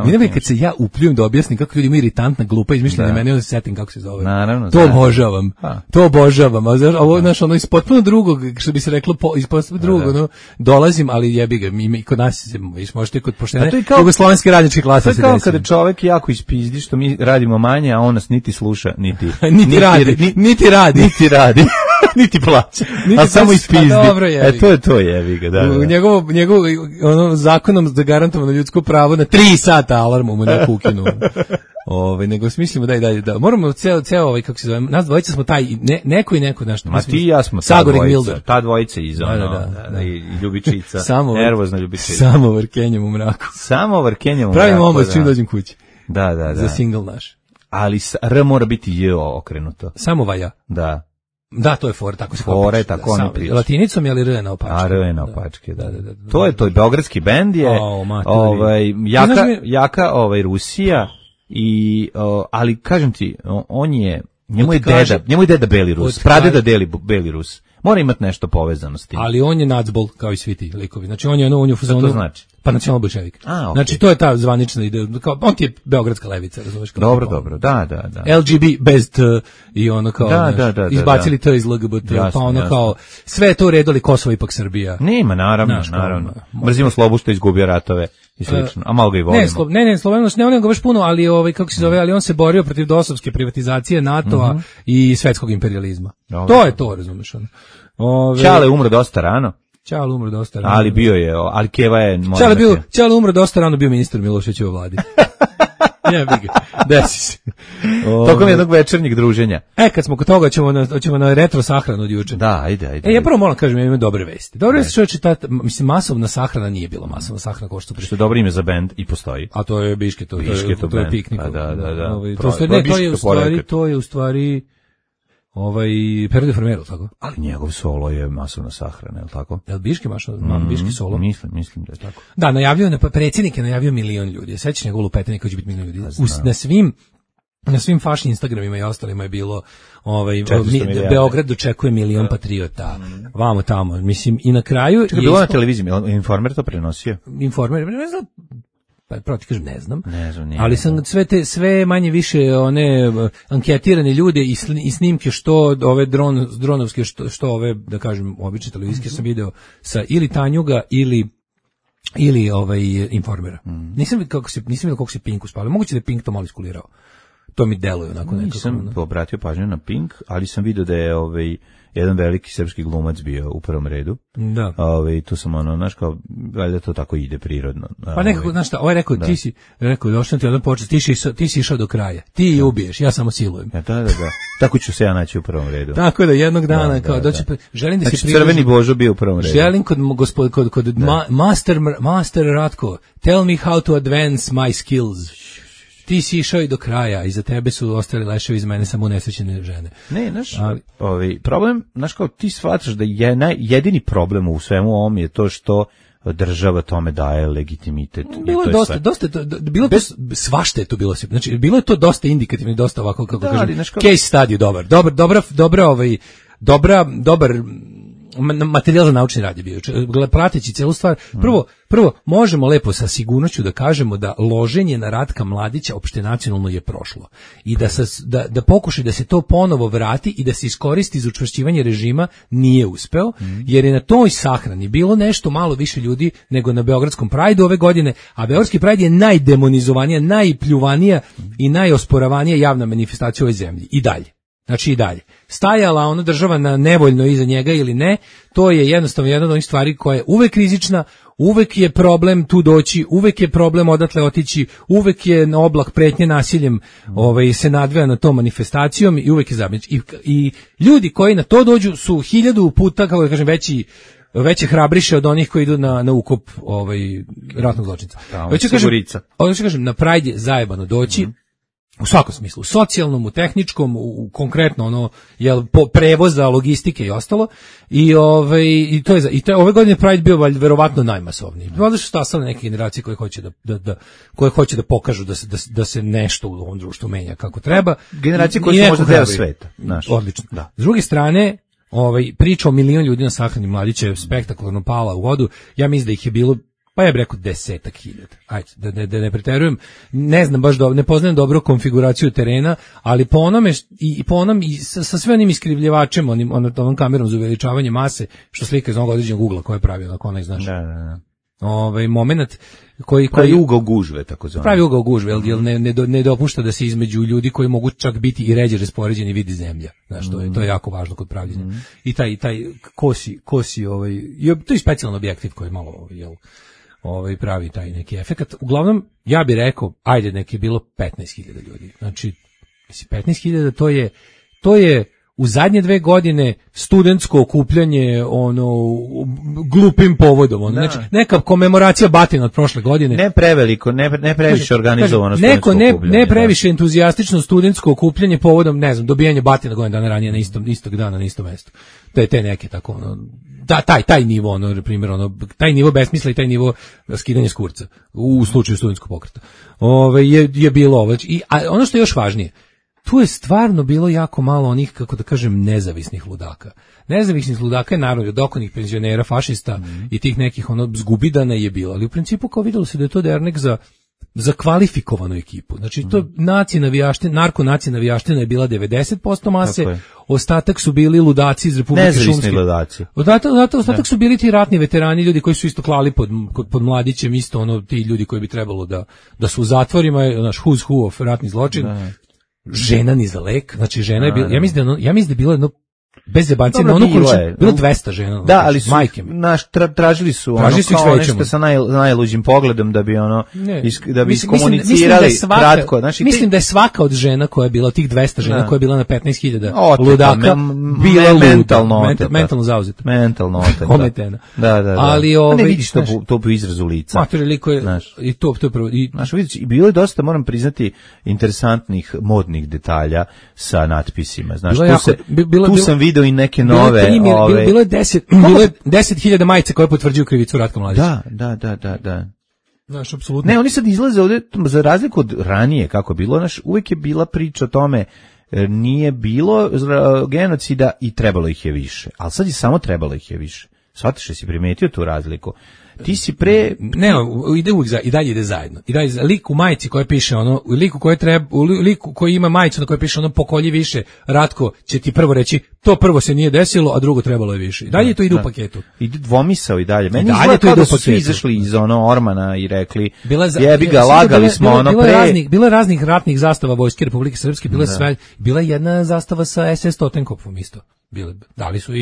Vidim kad se ja upljujem da objasnim kako ljudi imaju iritantna glupa izmišljena meni, onda se setim kako se zove. Naravno. To obožavam. To obožavam. Ovo znaš, ono iz potpuno drugog, što bi se reklo, iz potpuno drugog, ono, dolazim, ali jebi ga, mi kod nas možete kod poštene jugoslovenske radničke klase. To je kao kada čovek jako ispizdi što mi radimo manje, a on nas niti sluša, niti radi. Niti plaća. A samo ispizdi. To je jebi ga, da. Njegovo ono zakonom zagarantovano ljudsko pravo na 3 sata alarmu mu na kukinu. Nego smislimo da i dalje da. Moramo ceo kako se zove, nas dvojica smo taj neko i neko nešto. Ma ti i ja smo ta dvojica iz i Ljubičica, nervozna Ljubičica. Samo vrkenjem u mraku. Pravimo omot čim dođem kući. Da. Za single naš. Ali R mora biti J okrenuto. Samo vaja. Da, to je for, tako se fore, tako oni pričaju. Latinicom je li R na opačke? R je na opačke, da. To je beogradski bend je, jaka Rusija i ali kažem ti, njemu je deda Beli Rus, pradeda Beli Rus. Mora imati nešto povezano s tim. Ali on je nacbol, kao i svi ti likovi. Znači on je u fazonu. Što to znači? Pa nacionalno bolševik. Znači to je ta zvanična ideja. On ti je beogradska levica, razumeš? Dobro, da. LGB bez T i ono kao, izbacili T iz LGBT, pa ono kao, sve je to uredili, Kosovo ipak Srbija. Nema, naravno. Mrzimo Slobu što izgubio ratove i slično, a malo ga i volimo. Ne, Slovenost, ne on ga baš puno, ali kako se zove, ali on se borio protiv dosovske privatizacije NATO-a i svetskog imperijalizma. To je to, razumeš? Čale umro dosta rano. Ali bio je, ali Keva je... Čale umro dosta rano, bio ministar Miloševićeve vladi. Desi se. Tokom jednog večernjeg druženja. Kad smo kod toga, ćemo na retro sahranu od juče. Da, ajde. Ja prvo moram kažem, ja imam dobre vesti. Dobre vesti čovječe, masovna sahrana nije bila masovna sahrana kao što je dobro ime za bend i postoji. A to je Biške, to je piknik. Da. To je u stvari Pero de Farmero, tako? Ali njegov solo je masovna sahrana, je li tako? Je li Biški Biški solo? Mislim da je tako. Da, predsjednik je najavio 1 milion ljudi. Sećaš njegovu lupetanje koji će biti 1 milion ljudi. Na svim fašnim Instagramima i ostalima je bilo Beograd dočekuje 1 milion patriota. Vamo tamo, mislim, i na kraju... Čekaj, bilo na televiziji, Informer to prenosio? Informer, ne znam, pravo ti kažem, ne znam, ali sam sve manje više one anketirane ljude i snimke što ove dronovske, što ove, da kažem, obične televizijske sam video sa ili Tanjuga ili Informera. Nisam vidio kako se Pink uspavio. Moguće da je Pink to malo iskulirao. To mi deluje onako nekako. Nisam obratio pažnju na Pink, ali sam vidio da je jedan veliki srpski glumac bio u prvom redu. Da. Tu sam znaš kao, valjda to tako ide prirodno. Pa nekako, znaš šta, rekao, ti si došao ti jedan počet, ti si išao do kraja. Ti ubiješ, ja samo silujem. Da. Tako ću se ja naći u prvom redu. Tako da jednog dana, želim da se znači, Crveni Božo bio u prvom redu. Želim kod Master Ratko, tell me how to advance my skills. Ti si išao i do kraja, iza tebe su ostali leševi, iz mene samo unesrećene žene. Ne, problem, znaš kao, ti shvataš da je jedini problem u svemu ovom je to što država tome daje legitimitet. Bilo je svašta je to bilo. Znači, bilo je to dosta indikativno i dosta ovako, kako kažem, case study dobar materijal za naučni rad je bio. Prateći celu stvar, prvo možemo lepo sa sigurnošću da kažemo da loženje na Ratka Mladića opštenacionalno je prošlo. I da pokušaj da se to ponovo vrati i da se iskoristi za učvršćivanje režima nije uspeo, jer je na toj sahrani bilo nešto malo više ljudi nego na Beogradskom Prideu ove godine, a Beogradski Pride je najdemonizovanija, najpljuvanija i najosporavanija javna manifestacija u ovoj zemlji. I dalje. Znači i dalje. Stajala ona država na nevoljno iza njega ili ne, to je jednostavno jedna od onih stvari koja je uvek rizična, uvek je problem tu doći, uvek je problem odatle otići, uvek je oblak pretnje nasiljem se nadveja na tom manifestacijom i uvek je zabrinut. I ljudi koji na to dođu su 1000 puta, kako da kažem, veće hrabriše od onih koji idu na ukop ratnog zločinca. Hoću kažem, na Pride je zajebano doći, U svakom smislu, u socijalnom, u tehničkom, u konkretno ono prevoza, logistike i ostalo. I to je ove godine Pride bio verovatno najmasovniji. Valjda su stasale neke generacije koje hoće da pokažu da se nešto u ovom društvu menja kako treba. Generacije koje su možda deo sveta, znaš. Odlično. Da. S druge strane, priča o milion ljudi na sahrani mladića je spektakularno pala u vodu. Ja mislim da ih je bilo, pa ja bih rekao 10.000. Ajde, da ne preterujem. Ne znam baš ne poznajem dobro konfiguraciju terena, ali po onome i sa sve onim iskrivljivačem, onom kamerom za uveličavanje mase, što slika iz onog određenog ugla koje je pravio, ako onaj znaš. Da. Moment koji ugao gužve, tako zove. Pravi ugao gužve, jer ne dopušta da se između ljudi koji mogu čak biti i ređe raspoređeni vidi zemlja. Znaš, to je jako važno kod pravljenja. I taj kosi to je specijalan objektiv koji malo pravi taj neki efekat. Uglavnom, ja bih rekao, ajde, nek je bilo 15.000 ljudi. Znači, 15.000 to je u zadnje 2 godine studentsko okupljanje glupim povodom. Znači, neka komemoracija batina od prošle godine. Ne preveliko, ne previše organizovano studentsko okupljanje. Ne previše entuzijastično studentsko okupljanje povodom, ne znam, dobijanje batina godinu dana ranije na istog dana na istom mestu. To je te neke tako, taj nivo, taj nivo besmisla i taj nivo skidanja s kurca u slučaju studentskog pokreta. Je bilo ovo. A ono što je još važnije, tu je stvarno bilo jako malo onih, kako da kažem, nezavisnih ludaka. Nezavisnih ludaka je naravno od okolnih penzionera, fašista i tih nekih zgubidana je bilo, ali u principu kao videlo se da je to dernek za kvalifikovanu ekipu. Znači to narko-naci navijaština je bila 90% mase, ostatak su bili ludaci iz Republike Šumske. Nezavisni ludaci. Ostatak su bili ti ratni veterani, ljudi koji su isto klali pod mladićem, isto ti ljudi koji bi trebalo da su u zatvorima, naš who's who of ratni zločin. Žena ni za lek, znači žena je bila, ja mislim da je bilo jedno bez zebancije, na ono količinu, bilo 200 žena. Da, ali su, tražili su kao nešto sa najluđim pogledom da bi iskomunicirali kratko. Mislim da je svaka od žena koja je bila, tih 200 žena koja je bila na 15.000 ludaka, bila luda, mentalno zauzeta. Mentalno oteta. Ometena. Da. Ali ne vidiš to po izrazu lica. Liko je, i to je prvo. Znaš, vidiš, bilo je dosta, moram priznati, interesantnih modnih detalja sa natpisima. Znaš, tu sam video i neke nove... Bilo je 10.000 majice koje potvrđuju krivicu Ratka Mladića. Da. Znaš, apsolutno. Ne, oni sad izlaze ovdje, za razliku od ranije kako je bilo, uvijek je bila priča o tome, nije bilo genocida i trebalo ih je više. Ali sad je samo trebalo ih je više. Shvatiš, si primetio tu razliku? Ti si ide uvijek i dalje ide zajedno. I dalje lik u majici koja piše liku koji ima majicu na kojoj piše pokolji više, Ratko će ti prvo reći to prvo se nije desilo, a drugo trebalo je više. I dalje to ide u paketu. Ide dvomisao i dalje. Meni izgleda kao da su svi izašli iz Ormana i rekli jebi ga, lagali smo pre. Bilo je raznih ratnih zastava Vojske Republike Srpske, bila je jedna zastava sa SS Totenkopfom isto. Dali su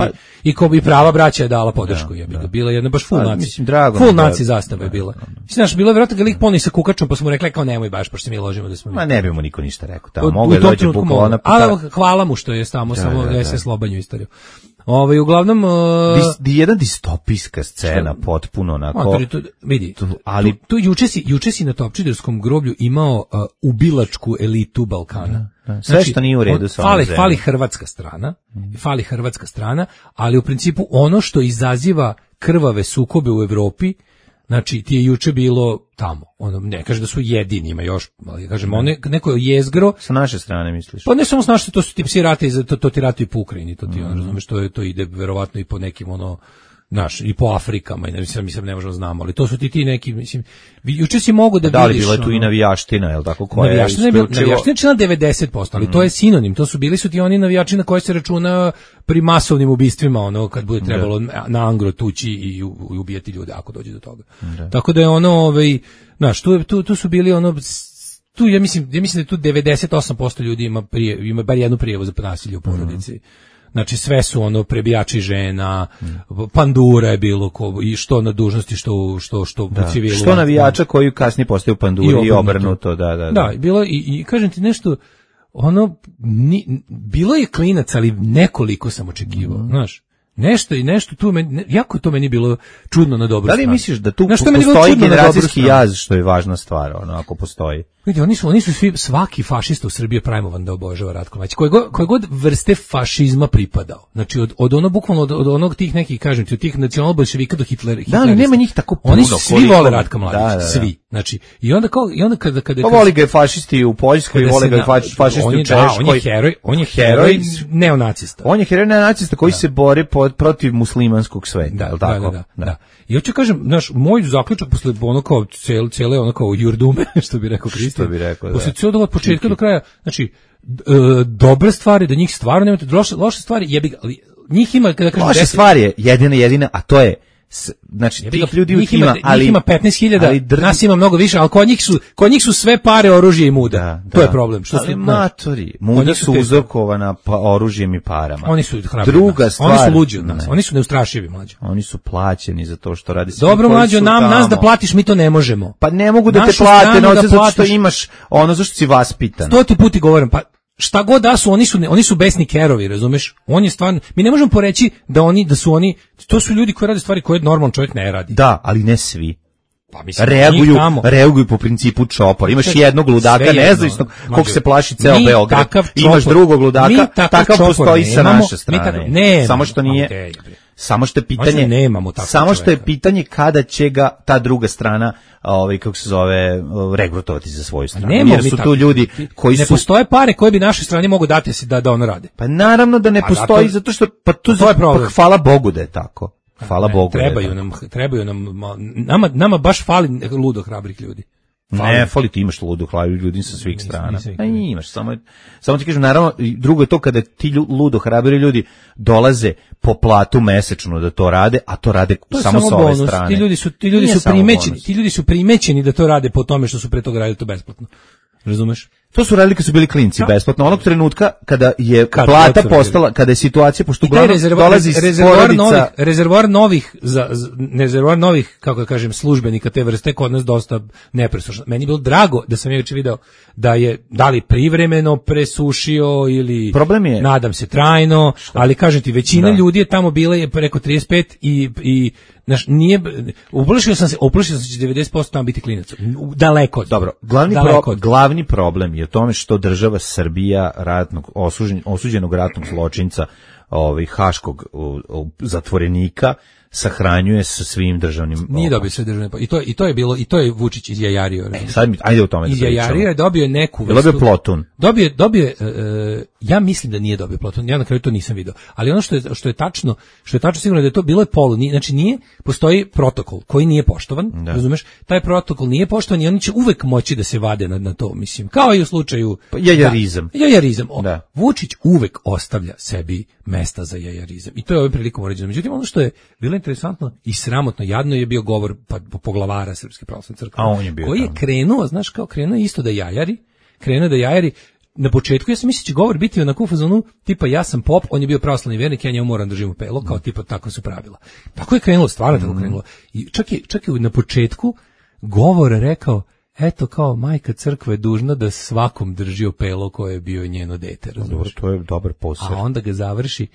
i prava braća je dala podršku. Bila jedna baš full naci. Full naci zastava je bila. Znaš, bilo je vjerojatno ga lik poni sa kukačom, pa smo rekli kao nemoj baš, pošto se mi ložimo da smo mi. Ma ne bi mu niko ništa rekao. Tamo mogu je dođe bukvalno. Ali hvala mu što je samo SS Lobanju istoriju. Uglavnom jedna distopijska scena potpuno onako. Vidi, ali tu juče si na Topčiderskom groblju imao ubilačku elitu Balkana. Sve što nije u redu sa ovom zemljom. Fali hrvatska strana, ali u principu ono što izaziva krvave sukobe u Evropi, znači ti je juče bilo tamo. Ne kaže da su jedini, ima još, ali kažem, neko je jezgro. Sa naše strane misliš? Pa ne samo s naše, to su ti psi rate, to ti ratuju po Ukrajini, to ti razumeš, to ide verovatno i po nekim i po Afrikama, i ne možemo znamo, ali to su ti neki, mislim, juče si mogu da vidiš. Da li bila je tu i navijaština, je li tako? Navijaština je činila 90%, ali to je sinonim, bili su ti oni navijači na koje se računa pri masovnim ubistvima, kad bude trebalo na angro tući i ubijati ljude, ako dođe do toga. Tako da je tu su bili ja mislim da je tu 98% ljudi ima bar jednu prijavu za nasilje u porodici. Znači sve su prebijači žena, pandura je bilo i što na dužnosti, što u civilu. Što navijača koji kasnije postaju panduri i obrnuto, da. Da, bilo i kažem ti nešto, bilo je klinac, ali nekoliko sam očekivao, znaš. Nešto tu jako to meni bilo čudno na dobru stranu. Da li misliš da tu postoji generacijski jaz, što je važna stvar, ako postoji? Vidi, oni su svi, svaki fašista u Srbiji je primovan da obožava Ratko Mladića. Koje god vrste fašizma pripadao. Znači, od ono, bukvalno, od onog tih nekih, kažem ti, od tih nacionalbolševika do hitlerista. Da, ali nema njih tako puno. Oni svi vole Ratka Mladića, svi. Znači, i onda kada pa voli ga je fašisti u Poljskoj, voli ga je fašisti u Češkoj. On je heroj neonacista. On je heroj neonacista koji se bore protiv muslimanskog sveta, je li tako? Da. I hoću kažem, naš moj zaključak posle ono kao cele ono kao jurdume, što bi rekao Kristijan. Posle cijelog od početka do kraja, znači dobre stvari, da njih stvarno nemate, loše stvari, jebi ga, njih ima kada kažem loše stvari je jedina, a to je znači tih ljudi njih ima, ali njih ima 15.000, nas ima mnogo više, ali kod njih su sve pare, oružje i muda. To je problem. Što ali matori, muda su uzorkovana oružjem i parama. Oni su hrabri. Druga stvar, oni su luđi od nas. Oni su neustrašivi, mlađi. Oni su plaćeni za to što radi. Dobro, mlađo, nas da platiš, mi to ne možemo. Pa ne mogu da te plate, zato što imaš ono zašto si vaspitan. 100 puta govorim, pa šta god da su, oni su besni kerovi, razumeš? On je stvarno, mi ne možemo poreći da su oni, to su ljudi koji rade stvari koje normalan čovjek ne radi. Da, ali ne svi. Pa mislim, reaguju po principu čopora. Imaš jednog ludaka nezavisnog kog se plaši ceo Beograd. Imaš drugog ludaka, takav postoji sa naše strane. Samo što je pitanje, samo što je pitanje kada će ga ta druga strana, kako se zove, regrutovati za svoju stranu. Jer su tu ljudi koji ne postoje pare koje bi našoj strani mogu dati da ono rade. Pa naravno da ne postoji, zato što to je problem. Hvala Bogu da je tako. Hvala Bogu. Trebaju nam, nama baš fali ludo hrabrih ljudi. Ne, fali ti imaš ludo hrabrih ljudi sa svih strana. Imaš, samo ti kažem, naravno, drugo je to kada ti ludo hrabri ljudi dolaze po platu mesečno da to rade, a to rade samo sa ove strane. Ti ljudi su primećeni da to rade po tome što su pre toga radili to besplatno. Razumeš? To su radili kad su bili klinci besplatno. Onog trenutka kada je plata postala, kada je situacija, pošto uglavnom dolazi porodica... Rezervoar novih, kako da kažem, službenika te vrste kod nas dosta nepresušno. Meni je bilo drago da sam juče video da je da li privremeno presušio ili nadam se trajno, ali kažem ti, većina ljudi je tamo bila je preko 35 i nije, uplašio sam se 90% tamo biti klinac. Daleko. Dobro, glavni problem je u tome što država Srbija osuđenog ratnog zločinca, haškog zatvorenika sahranjuje sa svim državnim. Nije dobio sve državne, i to je bilo, i to je Vučić izjajario. Ajde o tome. Izjajario je, dobio neku vrstu. Dobio plotun. Dobio ja mislim da nije dobio plotun. Ja na kraju to nisam video. Ali ono što je tačno sigurno da je to bilo je znači nije, postoji protokol koji nije poštovan, razumeš? Taj protokol nije poštovan i oni će uvek moći da se vade na to, mislim. Kao i u slučaju jajarizam. Vučić uvek ostavlja sebi mesta za jajarizam. I to je ovim prilikom urađeno. Međutim, ono što je bilo interesantno i sramotno, jadno je bio govor poglavara Srpske pravoslavne crkve. Koji je krenuo, znaš, krenuo isto da jajari. Na početku ja sam mislio će govor biti onako u fazonu tipa ja sam pop, on je bio pravoslavni vernik, ja njemu moram držim u pelo, kao tipa tako su pravila. Tako je krenulo, stvarno tako krenulo. I čak je na početku govor rekao, eto kao majka crkve je dužna da svakom drži opelo koje je bio njeno dete. Dobro, to je dobar posao. A onda ga završi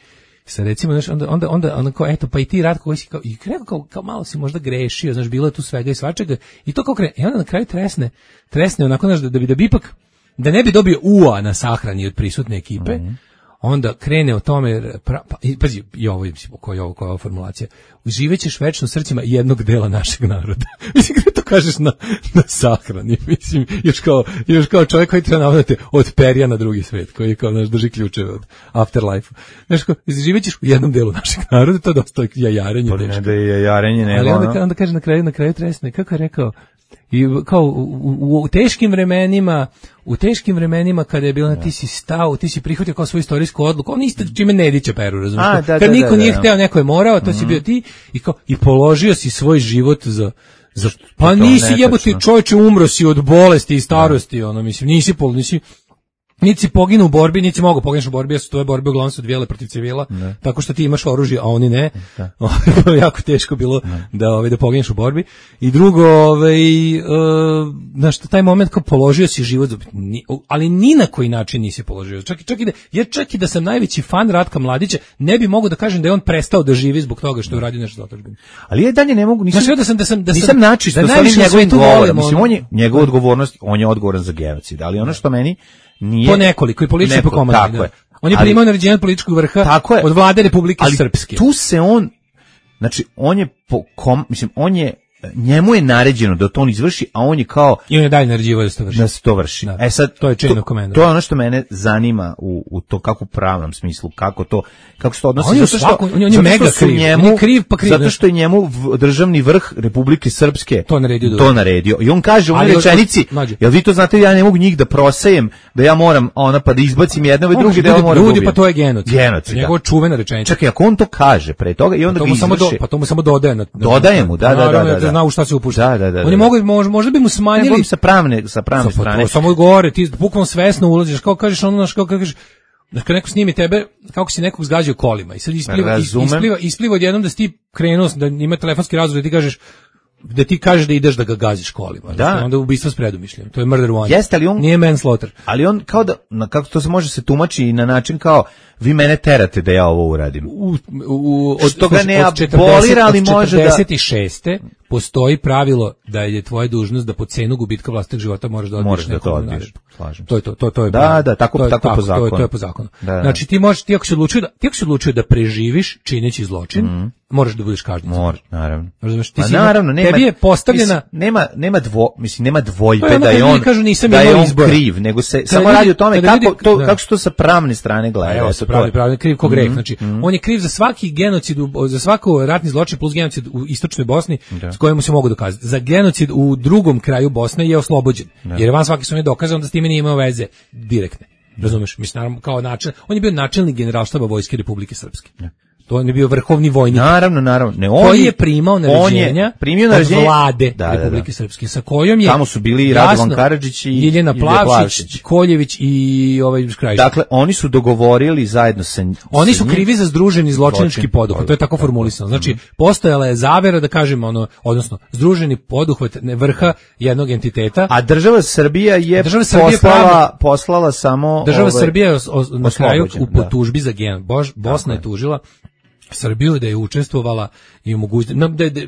sa recimo, znaš, onda kao, eto, pa i ti Ratko koji si kao, i rekao kao malo si možda grešio, znaš, bilo je tu svega i svačega, i to kao i onda na kraju tresne onako, znaš, da bi ipak, da ne bi dobio ua na sahrani od prisutne ekipe, onda krene o tome, pazi, i ovo je, koja je ova formulacija, uživećeš večno srcima jednog dela našeg naroda. Mislim, kada to kažeš na sahrani, mislim, još kao čovjek koji treba navodati od perja na drugi svet, koji kao, znaš, drži ključeve od afterlife. Znaš, kao, uživećeš u jednom delu našeg naroda, to je dosta jajarenje. Pa ne da je jajarenje, nego ali onda kaže na kraju tresne, kako je rekao, i kao u teškim vremenima kada je bilo ti si stao, ti si prihvatio kao svoju istorijsku odluku, on isto čime Nedića peru, razumiješ? Kad niko nije hteo, neko je morao, to si bio ti i položio si svoj život za pa nisi jebote čovječe, umro si od bolesti i starosti, ono, mislim, nisi Niti si poginu u borbi, niti si mogu pogineš u borbi, jer su tvoje borbe uglavnom su odvijale protiv civila, tako što ti imaš oružje, a oni ne. Jako teško bilo da pogineš u borbi. I drugo, znaš, taj moment kao položio si život, ali ni na koji način nisi položio. Čak i da sam najveći fan Ratka Mladića, ne bi mogao da kažem da je on prestao da živi zbog toga što je uradio nešto za otadžbinu. Ali ja dalje ne mogu, nisam načisto da sa njegovim govorom. Mislim, on je njegova odgovornost, on je odgovoran za genocid, ali ono što meni nije... Po nekoliko i politički po komandi. Tako je. On je primao naređenje od političkog vrha od vlade Republike Srpske. Tu se on, znači on je njemu je naređeno da to on izvrši, a on je kao... I on je dalje naređivao da se to vrši. Da. Sad, to je chain of command. To je ono što mene zanima u to kako u pravnom smislu, kako se to odnosi. On je mega kriv. Zato što je njemu državni vrh Republike Srpske to naredio. I on kaže u onoj rečenici, jel vi to znate, ja ne mogu njih da prosejem, da ja moram pa da izbacim jedne ove druge, da ja moram ljudi, pa to je genocid. Njegova čuvena rečenica. Čekaj, ako on to kaže pre toga i onda ga izvrši. Pa to mu samo dodaje. Dodaje mu, da. Zna u šta se upušta. Da. Oni možda bi mu smanjili sa pravne strane. Samo gore, ti bukvalno svesno ulaziš, kao kažeš ono, kao kažeš, kad neko snimi tebe, kako si nekog zgađao kolima i sad ispliva odjednom da si ti krenuo, da ima telefonski razgovor da ti kažeš da ideš da ga gaziš kolima. Da. Onda ubistvo s predumišljem. To je murder one. Jeste, ali on nije manslaughter. Ali on kao da, kako to se može se tumači i na način kao vi mene terate da ja ovo uradim. Što ga ne abolira, ali može da... Od 46. postoji pravilo da je tvoja dužnost da po cenu gubitka vlastitog života moraš da odbiješ nekom naredbu. Slažem. To je to. Da, tako po zakonu. To je po zakonu. Znači ti ako si odlučio da preživiš čineći zločin, moraš da budeš kažnjen. Naravno. Razumeš, tebi je postavljena nema dvojbe da je on kriv, nego se samo radi o tome kako se to sa pravne strane gleda. Evo, pravi kriv ko greh. Znači, on je kriv za svaki genocid, za svako ratni zločin plus genocid u istočnoj Bosni s kojemu se mogu dokazati. Za genocid u drugom kraju Bosne je oslobođen. Jer je van svaki sumnje dokazano da s time nije imao veze direktne. Razumeš? Mislim, naravno, kao on je bio načelnik Generalštaba Vojske Republike Srpske. To je bio vrhovni vojnik. Naravno. Koji je primao naređenja od vlade Republike Srpske, sa kojom je... Tamo su bili i Radovan Karadžić i Jeljena Plavšić, Koljević i Škrajić. Dakle, oni su dogovorili zajedno sa... Oni su krivi za združeni zločinački poduhvat, to je tako formulisano. Znači, postojala je zavera, da kažemo, odnosno, združeni poduhvat vrha jednog entiteta. A država Srbija je poslala samo... Država Srbija je na kraju u tužbi za Bosna je tužila Srbiju da je učestvovala i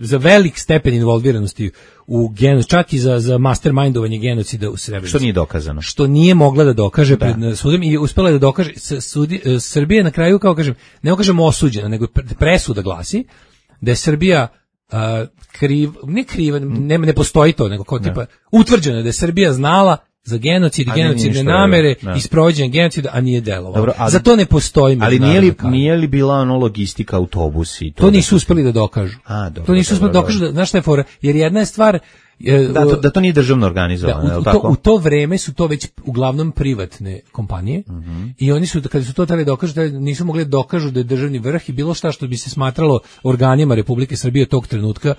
za velik stepen involviranosti u genocid, čak i za mastermindovanje genocida u Srebrenici. Što nije dokazano. Što nije mogla da dokaže pred sudom i uspela je da dokaže. Srbija na kraju, kao kažem, ne kažemo osuđena, nego presuda glasi da je Srbija ne postoji to, nego kao tipa utvrđeno da je Srbija znala za genocid i genocidne namere i sprovođenje genocida, a nije delovalo. Za to ne postoji međunarodna kazna. Ali nije li bila logistika autobusi? To nisu uspeli da dokažu. To nisu uspeli da dokažu, znaš šta je fora? Jer jedna je stvar... Da to nije državno organizovano, u to vreme su to već uglavnom privatne kompanije i oni su, kada su to tali dokažu, nisu mogli dokažu da je državni vrh i bilo šta što bi se smatralo organima Republike Srbije tog trenutka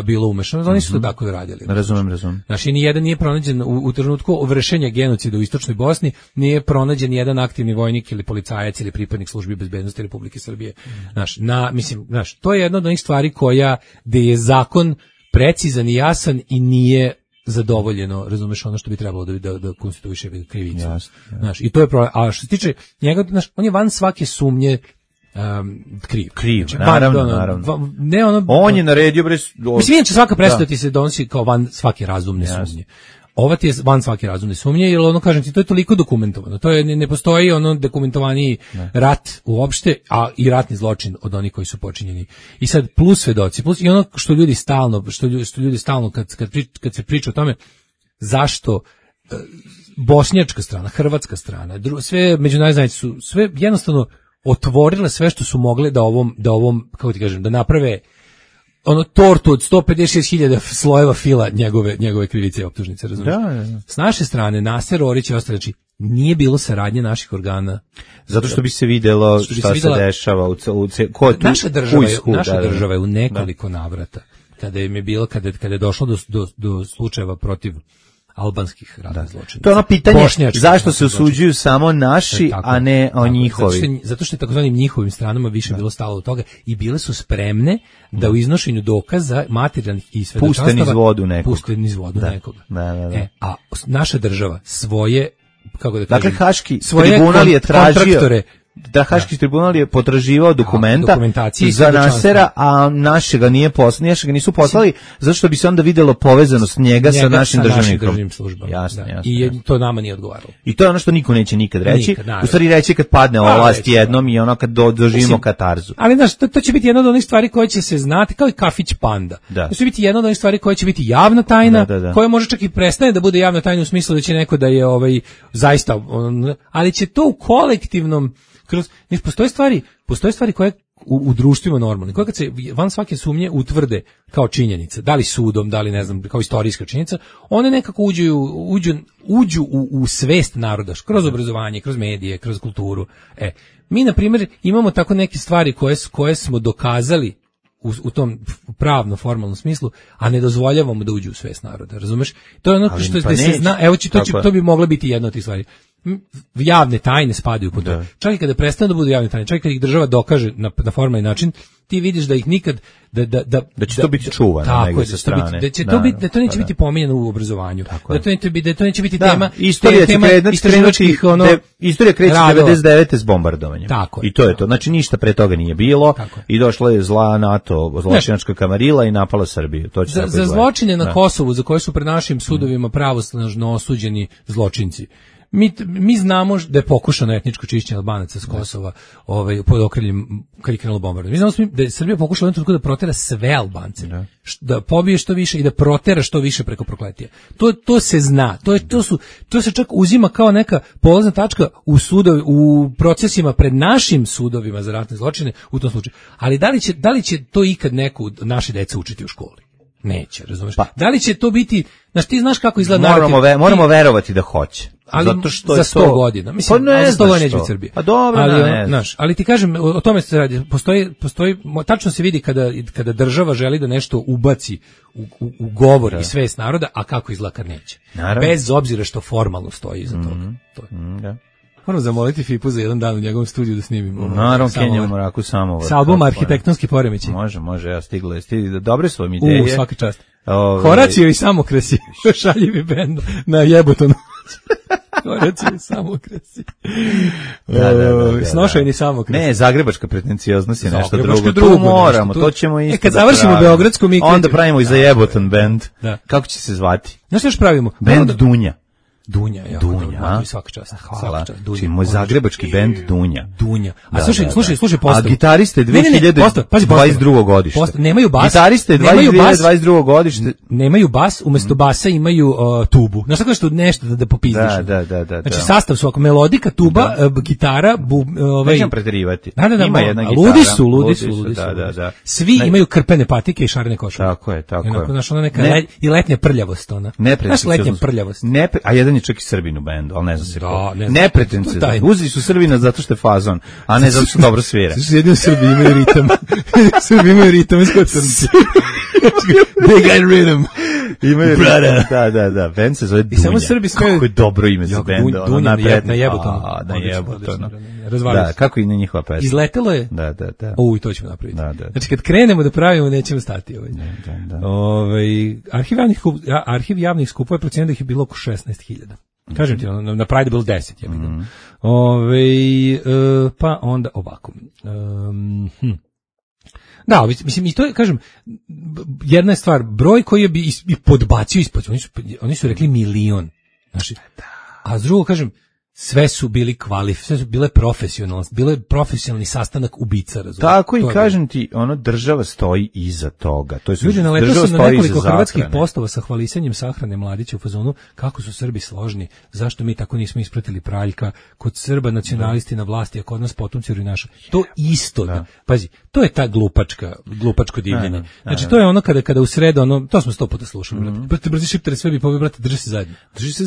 bilo umešano. Oni su to tako radili. Razumem. Znači, nijedan nije pronađen u trenutku vršenja genocida u istočnoj Bosni, nije pronađen jedan aktivni vojnik ili policajac ili pripadnik službi bezbednosti Republike Srbije. To je jedna od onih stvari gde je zakon precizan i jasan i nije zadovoljeno, razumeš, ono što bi trebalo da konstituiše krivicu. I to je problem. A što se tiče njega, on je van svake sumnje kriv. Naravno. On je naredio... Mislim, inače svaka presuda ti se donosi kao van svake razumne sumnje. Ova ti je van svake razumne sumnje, jer kažem ti, to je toliko dokumentovano. To je, ne postoji dokumentovaniji rat uopšte, a i ratni zločin od onih koji su počinjeni. I sad plus svedoci, plus i ono što ljudi stalno kad se priča o tome zašto bošnjačka strana, hrvatska strana, sve međunarodne zajednice su sve jednostavno otvorile sve što su mogle da ovom kako ti kažem, da naprave tortu od 156.000 slojeva fila njegove krivice i optužnice, razumiješ? S naše strane, Naser Orić i ostali, znači, nije bilo saradnje naših organa. Zato što bi se videlo šta se dešava Naša država je u nekoliko navrata, kada je došlo do slučajeva protiv albanskih ratnih zločinaca. To je ono pitanje Bošnjačkih zašto se ratnih osuđuju samo naši, Tako, a ne njihovi. Zato što je takozvanim njihovim stranama više bilo stalo od toga i bile su spremne da u iznošenju dokaza materijalnih i svedočanstava puste niz vodu nekog. Puste niz vodu nekoga. Da. A naša država svoje, kako da kažem, Dakle, Haški svoje tribunal je tražio kontraktore, da Haški tribunal je potraživao dokumentacije i za Nasera, a našega nisu poslali, zato što bi se onda videlo povezanost njega sa našim državnim službama. Jasno. To nama nije odgovaralo. I to je ono što niko neće nikad reći. U stvari reći kad padne ova vlast jednom i ono kad doživimo katarzu. Ali znaš, to će biti jedna od onih stvari koje će se znati, kao i kafić Panda. To će biti jedna od onih stvari koje će biti javna tajna, koja može čak i prestane da bude javna tajna u smislu da će neko da je zaista, ali će to u kolektivnom postoje stvari koje u društvima normalne, koje kad se van svake sumnje utvrde kao činjenice, da li sudom, da li ne znam, kao istorijska činjenica, one nekako uđu u svest naroda, kroz obrazovanje, kroz medije, kroz kulturu. Mi, na primjer, imamo tako neke stvari koje smo dokazali u tom pravno formalnom smislu, a ne dozvoljavamo da uđu u svest naroda, razumeš? To je ono što se zna, to bi mogla biti jedna od tih stvari. Javne tajne spadaju pod to. Čak i kada prestanu da budu javne tajne, čak i kada ih država dokaže na formalni način, ti vidiš da ih nikad da će to biti čuvano negdje sa strane. Da to neće biti pominjeno u obrazovanju. Da to neće biti tema istorija kreće 99. s bombardovanjem. I to je to. Znači ništa pre toga nije bilo i došla je zla NATO, zločinačka kamarila i napala Srbiju. Za zločine na Kosovu, za koje su pred našim sudovima pravosnažno osuđeni zločinci, mi znamo da je pokušano etničko čišćenje Albanaca s Kosova pod okriljem kad je krenulo bombardovanje. Mi znamo da je Srbija pokušala da protera sve Albance, da pobije što više i da protera što više preko prokletija. To se zna. To se čak uzima kao neka polazna tačka u procesima pred našim sudovima za ratne zločine u tom slučaju. Ali da li će to ikad neko od naše dece učiti u školi? Neće, razumeš? Da li će to biti, ti znaš kako izgleda narativ? Moramo verovati da hoće. Ali zato što za 100 godina. Mislim, za 100 godina neće biti Srbija. Pa dobro, ali ti kažem, o tome se radi. Postoji, tačno se vidi kada država želi da nešto ubaci u govor i svest naroda, a kako izgleda kad neće. Bez obzira što formalno stoji iza toga. Moram zamoliti Fipu za jedan dan u njegovom studiju da snimimo. Naravno, Kenja u Moraku samovar. S albuma Arhitektonski poremećaj. Može, ja stigla. Dobre su vam ideje. Svaka čast. Horacio i Samokrasi. Šaljivi bend na Jebotonu. Horacio i Samokrasi. Snošajni Samokrasi. Ne, zagrebačka pretencioznost je nešto drugo. Tu moramo, to ćemo isto. Kad završimo Beogradsku, mi onda pravimo i za Jeboton bend. Kako će se zvati? Znaš što još pravimo? Bend Dunja. Dunja, svaka čast. Hvala. Znači, moj zagrebački bend Dunja. A slušaj postavu. A gitariste 2022. godište. Nemaju bas. Gitariste 2022. godište. Nemaju bas, umesto basa imaju tubu. Znaš tako nešto da popizdiš. Da. Znači sastav su melodika, tuba, gitara, nećem preterivati. Ima jedna gitara. Ludi su. Da. Svi imaju krpene patike i šarene košulje. Tako je. Znaš, ona neka i letnja prljavost, ona. Znaš, letnja prljavost. A jedan je čak i Srbin u bendu, ali ne znam se ko. Nepretenciozno. Uzeli su Srbina zato što je fazon, a ne zato što dobro svira. Jedino Srbi imaju ritam. Srbi imaju ritam iz Kotornice. They got rhythm. Imaju ritam. Da. Bend se zove Dunja. I samo Srbi smiju. Kako je dobro ime za bend. Dunja na Jebotonu. Na Jebotonu. Da, kako i na njihova pesma. Izletelo je? Da. I to ćemo napraviti. Znači, kad krenemo da pravimo, nećemo stati. Arhiv javnih skupova je procenio da ih je bilo oko 16.000. Kažem ti, na Pride je bilo 10. Pa onda ovako. Da, mislim, i to je, kažem, jedna je stvar, broj koji je bi i podbacio ispod, oni su rekli 1 milion. Znači, a s drugo, kažem, sve su bile profesionalni sastanak ubica, razumiješ. Tako i kažem ti, država stoji iza toga. Ljudi, naletao sam na nekoliko hrvatskih postova sa hvalisanjem sahrane Mladića u fazonu kako su Srbi složni, zašto mi tako nismo ispratili Praljka, kod Srba nacionalisti na vlasti, a kod nas potomci naša. To isto, pazi, to je ta glupačko divljenje. Znači, to je ono kada u sredu, to smo 100 puta slušali, brate, brzi šiptare sve bi pobili, brate, drži se zajedno.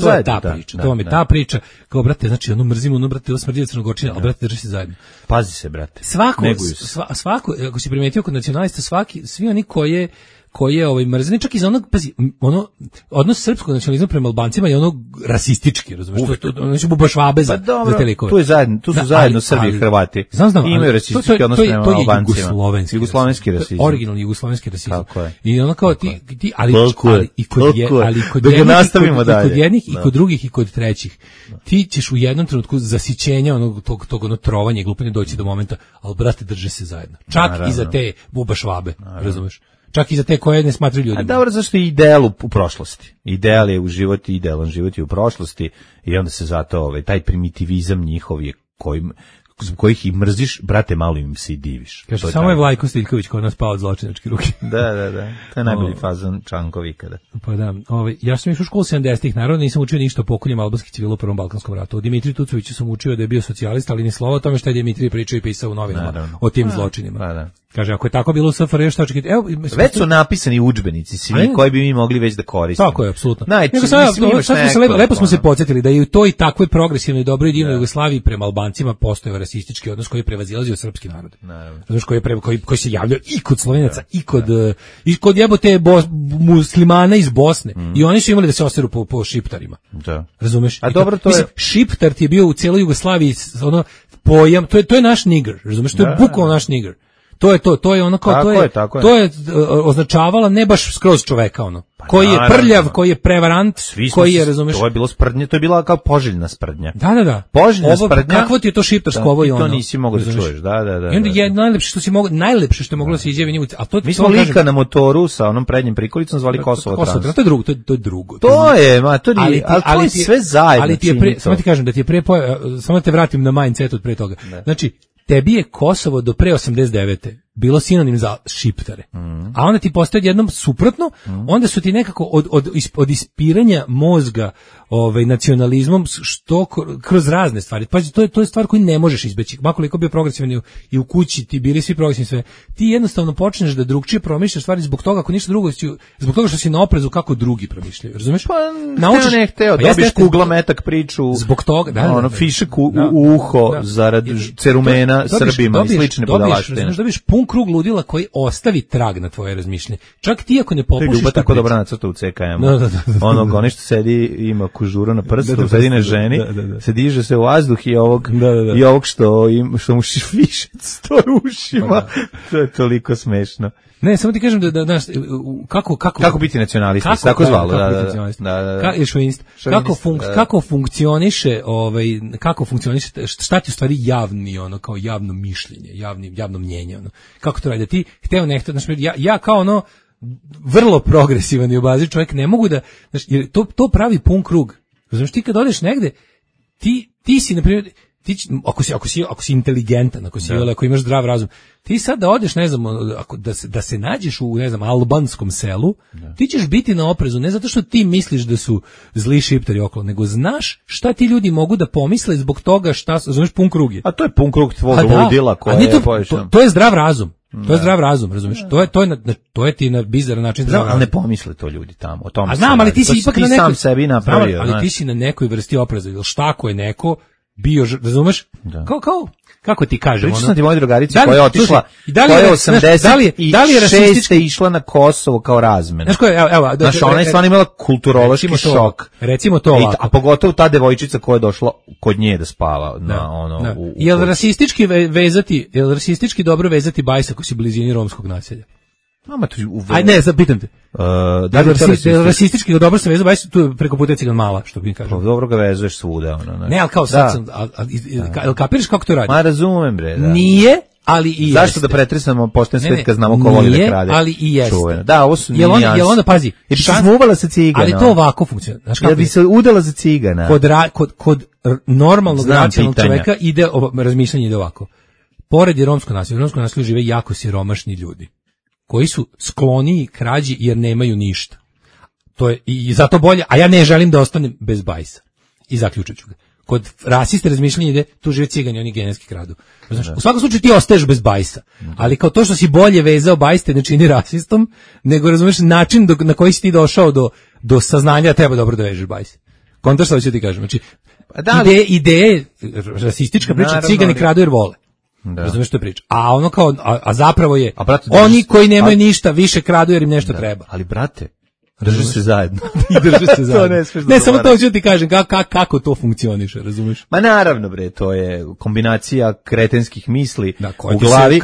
To je ta priča, to vam je ta priča, kao, brate, znači, mrzimo, brate, smrdi Crnogorčina, ali, brate, drži se zajedno. Pazi se, brate. Svako, ako si primetio kod nacionalista, svi oni koji je mrzani, čak iz onog, pazi, odnos srpskog nacionalizma prema Albancima je ono rasistički, razumiješ, ono su bubašvabe za te likove. Tu su zajedno Srbi i Hrvati. Imaju rasistički odnos prema Albancima. Jugoslovenski rasizam. Originalni jugoslovenski rasizam. Tako je. I ono kao ti ali kod jednih i kod drugih i kod trećih. Ti ćeš u jednom trenutku zasićenja tog trovanja i glupanja doći do momenta, ali brate, drže se zajedno. Čak i za te bubašvabe, razumeš? Čak i za te koje ne smatraju ljudima. A dobro, zašto je ideal u prošlosti? Ideal je u životu, idealan život je u prošlosti i onda se zato taj primitivizam njihov je kojih i mrziš, brate, malo im se i diviš. Kaže, samo je Vlajko Stiljković kod nas pao od zločinačke ruke. Da. To je najbolji fazon Čankov ikada. Pa da, ja sam išao u školu 70-ih, naravno nisam učio ništa o pokoljima albanskih civila u Prvom balkanskom ratu. O Dimitriju Tucoviću sam učio da je bio socijalista, ali ni slova o tome šta je Dimitrij pričao i pisao u novinama o tim zločinima. Da. Kaže, ako je tako bilo u SFRJ, šta očekivati? Već su napisani udžbenici svi koji bi mi mogli već da koristimo. Tako je, apsolutno. Lepo smo se podsjetili da je u toj takvoj progresivnoj dobroj divnoj Jugoslaviji prema Albancima postojao rasistički odnos koji je prevazilazio srpski narod. Znaš, koji se javljao i kod Slovenaca i kod jebote muslimana iz Bosne. I oni su imali da se oseru po šiptarima. Da. Razumeš? A dobro, to je šiptar ti je bio u cijeloj Jugoslaviji pojam, to je naš nigr, razumeš? To je bukvalno naš nigr. To je ono kao to je označavala ne baš skroz čoveka ono. Koji je prljav, koji je prevarant, koji je, razumeš? To je bilo sprdnje, to je bila kao poželjna sprdnja. Da. Poželjna sprdnja. Kakvo ti je to šiptarsko ovo i ono? To nisi mogao da čuješ, da. I onda je najlepše što je moglo da se izjavi njemu, a to mi smo lika na motoru sa onom prednjim prikolicom zvali Kosovo Trans. To je drugo. To je, to je sve zajedno. Ali ti je samo ti kažem da ti je samo te vratim na mindset od pre toga. Znači, tebi je Kosovo do pre 89. bilo sinonim za šiptare. A onda ti postoje jednom suprotno, onda su ti nekako od ispiranja mozga nacionalizmom što kroz razne stvari. Pazi, to je stvar koju ne možeš izbeći. Makoliko bio progresivan i u kući ti bili svi progresivni sve. Ti jednostavno počneš da drugčije promišljaš stvari zbog toga, ako ništa drugo, zbog toga što si na oprezu kako drugi promišljaju. Razumeš? Pa naučiš, dobiš kugla metak priču. Zbog toga, fišek u uho zarad cerumena Srbima i slične budalaštine. Dobiš pun krug ludila koji ostavi trag na tvoje razmišljanje. Čak ti ako ne popušiš... To je Ljuba tako dobra nacrta u CKM-u. Ono što sedi, ima kužuru na prstu, sedi na ženi, se diže se u vazduh i ovog što mu fišec stoji u ušima. To je toliko smešno. Ne, samo ti kažem da kako biti nacionalista, tako zvalo, kako funkcioniše šta ti u stvari javni kao javno mišljenje, javno mnjenje kako to radi, da ti hteo nešto, znači ja kao vrlo progresivan i obaziv čovjek ne mogu da, znači, jer to pravi pun krug. Znači ti kad odeš negde, ti si na primjer, ako si inteligentan, ako imaš zdrav razum, ti sad da odeš, ne znam, da se nađeš u, ne znam, albanskom selu, ti ćeš biti na oprezu, ne zato što ti misliš da su zli šiptari okolo, nego znaš šta ti ljudi mogu da pomisle zbog toga znaš, pun krug je. A to je pun krug tvog ludila koja je povišena. To je zdrav razum. To je zdrav razum, razumiješ? To je ti na bizaran način zdrav razum. Ali ne pomisle to ljudi tamo, o tome. A znam, ali ti si ipak na nekoj sam sebi napravio, ali ti si na nekoj vrsti opreza, ili šta ako je neko bio, razumeš? Kako ti kažem, pričao sam ti moja drugarica koja je otišla, koja je 86. išla na Kosovo kao razmena. Znaš, ona je stvarno imala kulturološki šok. Recimo to ovako. A pogotovo ta devojčica koja je došla kod nje da spava. Jel rasistički dobro vezati bajs ako si u blizini romskog naselja? Ajde, ne, zapitam te. Rasistički dobro se veza bajs, tu je preko puta Cigan Mala, što bi kažem. Dobro ga vezuješ svuda. Ne, ali kao sad sam, kapiraš kako to radi? Ma razumem, bre, da. Nije, ali i jeste. Zašto da pretresamo pošten svet kad znamo ko voli da krade? Nije, ali i jeste. Da, ovo su nijanse. Jel onda, pazi, bi se smuvala sa cigana. Ali to ovako funkcionira. Jel bi se udala za cigana? Kod normalnog racionalnog čoveka razmišljanje ide ovako. Pored je romsko naselje žive jako siromašni ljudi koji su skloniji krađi jer nemaju ništa. To je i zato bolje, a ja ne želim da ostanem bez bajsa. I zaključit ću ga. Kod rasiste razmišljanje ide, tu žive cigani, oni genetski kradu. Znaš, u svakom slučaju ti ostaješ bez bajsa, ali kao to što si bolje vezao bajs te ne čini rasistom, nego razumeš način na koji si ti došao do saznanja da treba dobro da vežeš bajs. Kontraš što ću ti kažem. Znači, ideje, rasistička priča, cigani kradu jer vole. Razumeš što je priča? A ono kao, a zapravo je, brate, oni koji nemaju ništa više kradu jer im nešto treba. Ali brate, drže se zajedno. I drže se zajedno. Ne, samo to ću ti kažem, kako to funkcioniše, razumeš? Ma naravno bre, to je kombinacija kretenskih misli koje u glavi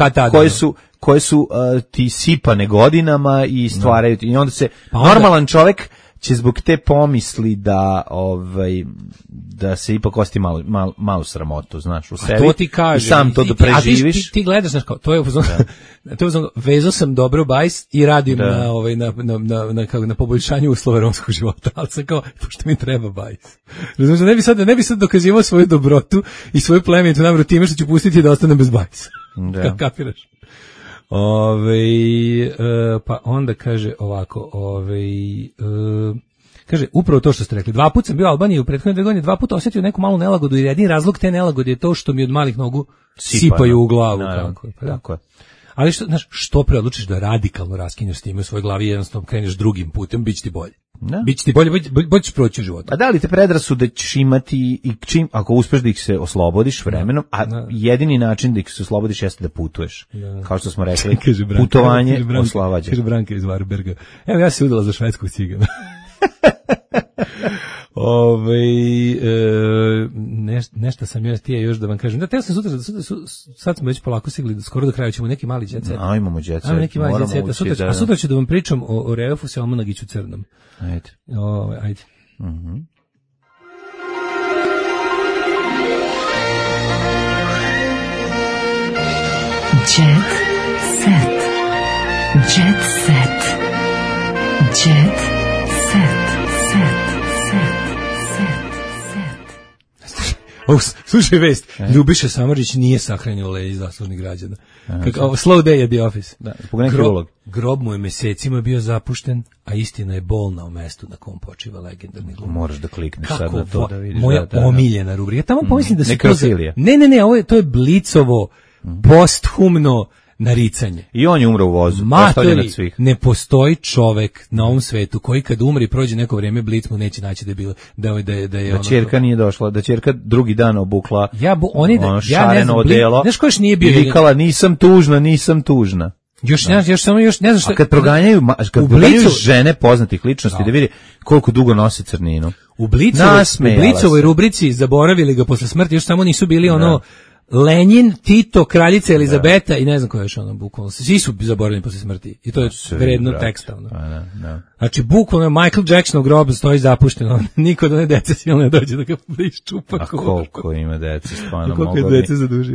koje su ti sipane godinama i stvaraju i onda se normalan čovjek će zbog te pomisli da se ipak osti malo sramotu, znaš, u sebi. To ti kaže. I sam to da preživiš. Ti gledaš, znaš, kao, to je vezao sam dobro bajs i radim na poboljšanju uslova romskog života, ali sam kao, pošto mi treba bajs. Razumiješ, ne bi sad dokazivao svoju dobrotu i svoju plemenitu namjeru time što ću pustiti da ostanem bez bajsa. Kapiraš? Pa onda kaže ovako, kaže, upravo to što ste rekli, 2 puta sam bio u Albaniji u prethodne 2 godine, 2 puta osjetio neku malu nelagodu i jedini razlog te nelagode je to što mi od malih nogu sipaju u glavu. Tako je. Ali što pre odlučiš da radikalno raskinješ s time u svojoj glavi i jednostavno kreneš drugim putem, bit će ti bolje. Bit će ti bolje, bolje ćeš proći u životu. A da li te predrasude ćeš imati i ako uspeš da ih se oslobodiš vremenom, jedini način da ih se oslobodiš jeste da putuješ. Kao što smo rekli, putovanje oslobađa. Kaže Branka iz Varberga. Evo ja se udala za švedskog cigana. Nešto sam još da vam kažem. Da, teo sam sutra, sad smo već polako sigli, skoro do kraja ćemo neki mali jet set. Imamo jet set. Neki mali jet set. A sutra ću da vam pričam o Reofu sa Almanagiću Crnom. Ajde. Ajde. Jet set. Jet set. Jet set. Slušaj vest, Ljubiša Samardžić nije sahranjen u leđi zaslužnih građana. Slow day at the office. Grob mu je mesecima bio zapušten, a istina je bolna u mestu na kom počiva legendarni glumac. Moraš da klikneš sad na to da vidiš. Moja omiljena rubrika. Ja tamo pomislim da se to je Blicovo posthumno naricanje. I on je umro u vozu. Matori, ne postoji čovek na ovom svetu koji kad umri i prođe neko vrijeme, Blic mu neće naći da je bilo da je da ćerka nije došla, da ćerka drugi dan obukla šareno odelo. Znaš ko još nije bio? I vikala nisam tužna. Još ne znam šta. A kad proganjaju žene poznatih ličnosti da vidi koliko dugo nosi crninu. U Blicovoj rubrici zaboravili ga posle smrti, još samo nisu bili Lenin, Tito, kraljica Elizabeta i ne znam koja još bukvalno. Svi su zaboravljeni posle smrti. I to je vredno teksta. Znači, bukvalno Michael Jacksonov grob stoji zapušteno. Niko da ne dece silno ne dođe da ga iščupa. A koliko ima dece, stvarno.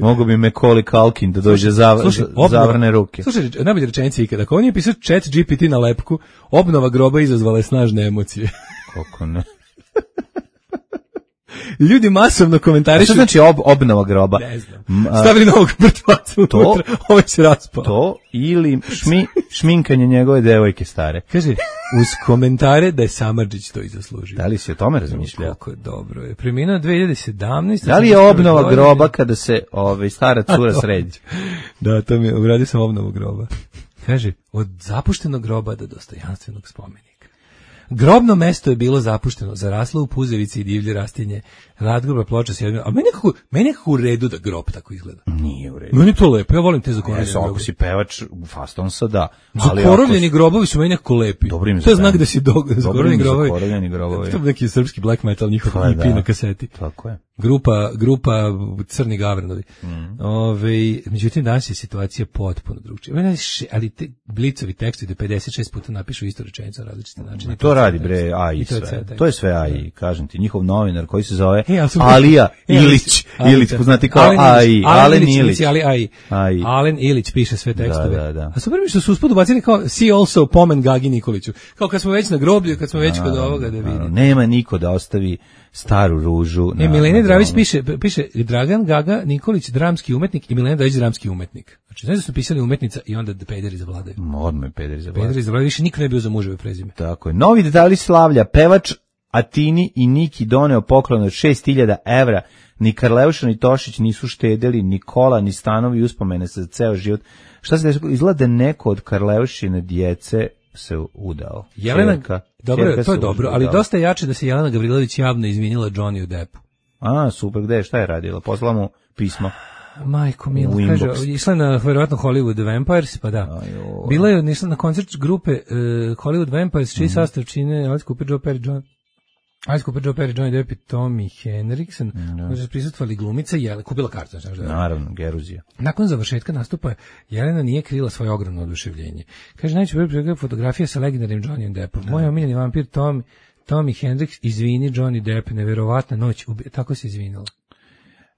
Mogu bi Macaulay Culkin da dođe zavrne ruke. Slušaj, najbolje rečenice ikada. Ako on je pisao Chat GPT na lepku, obnova groba izazvala je snažne emocije. Koliko ne. Ljudi masovno komentarišu. A što znači obnova groba? Ne znam. Stavili novog mrtvaca unutra, ovaj se raspao. To ili šminkanje njegove devojke stare. Kaže, uz komentare da je Samardžić to i zaslužio. Da li si o tome razmišljao? Kako je dobro. Je preminuo 2017. Da li je obnova groba kada se stara cura sredi? Da, to mi je, uradio sam obnovu groba. Kaže, od zapuštenog groba do dostojanstvenog spomenika. Grobno mesto je bilo zapušteno, zaraslo u puzevici i divlje rastinje, nadgrobna ploča s jednom, a meni nekako u redu da grob tako izgleda. Nije u redu. Meni to lepo, ja volim te zakorovljeni grobovi. Ako si pevač Fastonsa, da. Zakorovljeni grobovi su meni nekako lepi. To je znak da si zakorovljeni grobovi. To je neki srpski black metal, njihov EP na kaseti. Tako je. Grupa Crni Gavranovi. Međutim, danas je situacija potpuno drugčija. Ali te Blicovi tekstovi 56 puta napišu istu rečenicu na različite načine. To radi bre AI sve. To je sve AI, kažem ti, njihov novinar koji se zove Alija Ilić, poznati kao AI, Alen Ilić. Alen Ilić piše sve tekstove. Da. A super mi što su usput ubacili kao see also Pomen Gagi Nikoliću. Kao kad smo već na groblju, kad smo već kod ovoga da vidi. Nema niko da ostavi staru ružu. Milena Dravić piše Dragan Gaga Nikolić, dramski umetnik i Milena Dravić, dramski umetnik. Znači, ne da su pisali umetnica i onda pederi zavladaju. Odmah pederi zavladaju, više niko ne bio za muževe prezime. Tako je. Novi detalji slavlja, pevač Atini i Niki doneo poklon od 6.000 evra. Ni Karleuša ni Tošić nisu štedeli, ni kola, ni stanovi uspomene za ceo život. Šta se izgleda neko od Karleušine djece se udao. Jelena, dobro, to je dobro, ali dosta jače da se Jelena Gavrilović javno izvinila Johnny Deppu. Super, gde, šta je radila? Poslala mu pismo. Majko Mila, kaže, išla na verovatno Hollywood Vampires, pa da. Bila je išla na koncert grupe Hollywood Vampires, čiji sastav čine Alice Cooper, Joe Perry, Johnny Depp i Tommy Henriksen, koji su prisustvovali glumica Jelena, kupila kartu. Naravno, Geruzija. Nakon završetka nastupa, Jelena nije krila svoje ogromno oduševljenje. Kaže, najčešće fotografija sa legendarnim Johnnyem Deppom. Moj omiljeni vampir Tommy Hendricks, izvini Johnny Depp, neverovatna noć, tako se izvinila.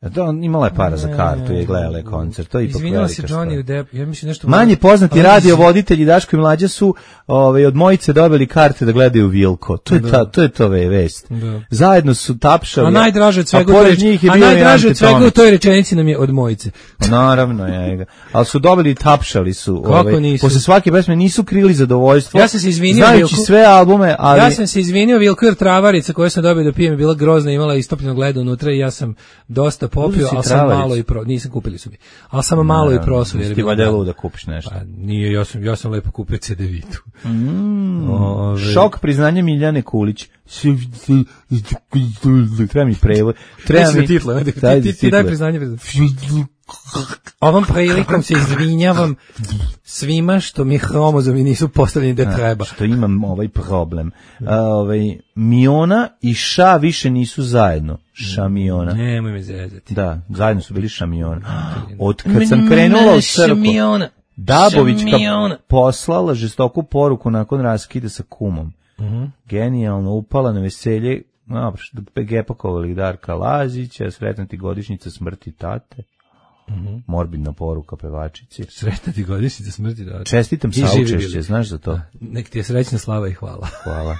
Da, imala je para za kartu i gledala je koncert, to je ipak velika stvar. Izvinila se Johnny Depp, ja mislim nešto... Manje poznati radiovoditelji Daško i Mlađa su od Mojice dobili karte da gledaju Vilko. To je to vest. Da. Zajedno su tapšali. A najdraže od svega u toj rečenici nam je od Mojice. Naravno, je. Ali su dobili i tapšali su. Posle svake pesme nisu krili zadovoljstvo. Ja sam se izvinio znajući Vilko, sve albume, ali... Ja sam se izvinio Vilko jer travarica koju sam dobio da pijem je bila grozna, imala istopljeno ledo unutra i ja sam dosta popio, ali sam malo i nisam kupili su mi. Ali sam malo i prosuo jer je bilo. Ti valjda da kupiš nešto. Pa nije, ja sam lepo kupio CD-vitu. Šok priznanje Miljane Kulić. Treba mi prevod. Treba mi titla. Ti daj priznanje. Ovom prilikom se izvinjavam svima što mi hromozomi nisu postavljeni da treba. Što imam ovaj problem. Miona i Ša više nisu zajedno. Šamiona. Nemoj me zezati. Da, zajedno su bili Šamiona. Od kad sam krenula u crku, Dabovićka poslala žestoku poruku nakon raskida sa kumom. Genijalno, upala na veselje, gepakovali Darka Lazića, sretna ti godišnjica smrti tate. Morbidna poruka pevačici. Sretna ti godišnjica smrti tate. Čestitam saučešće, znaš za to? Nek ti je srećna slava i hvala. Hvala.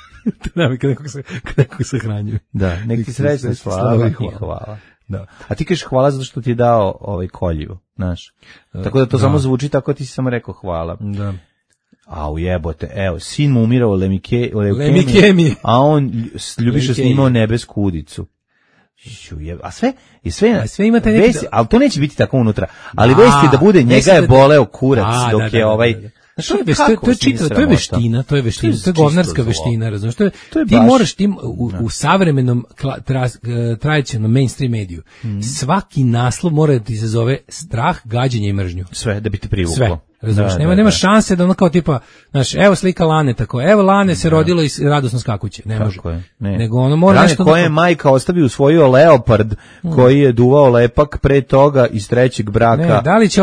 Kad nekog se hranjuju. Da, nek ti srećna slava i hvala. Da. A ti kažeš hvala zato što ti je dao koljivo, znaš. Tako da to samo zvuči tako, ti si samo rekao hvala. Da. A ujebote, evo, sin mu umirao leukemiji, a on ljubiše snimao Nebesku udicu. A sve ima taj neki... Ali to neće biti tako unutra. Ali vesti da bude, njega je boleo kurac dok je ovaj... To je veština, to je govnarska veština, razumiješ? Ti moraš u savremenom tradicionalnom mainstream mediju, svaki naslov mora da ti izazove strah, gađenje i mržnju. Sve, da bi te privuklo. Sve. Razumiješ, nema šanse da ono kao tipa, znaš, evo slika Lane tako, evo Lane se rodilo i radosno skakuće, ne može. Nego ono mora nešto... koje je majka ostavio usvojio leopard koji je duvao lepak pre toga iz trećeg braka. Ne, da li će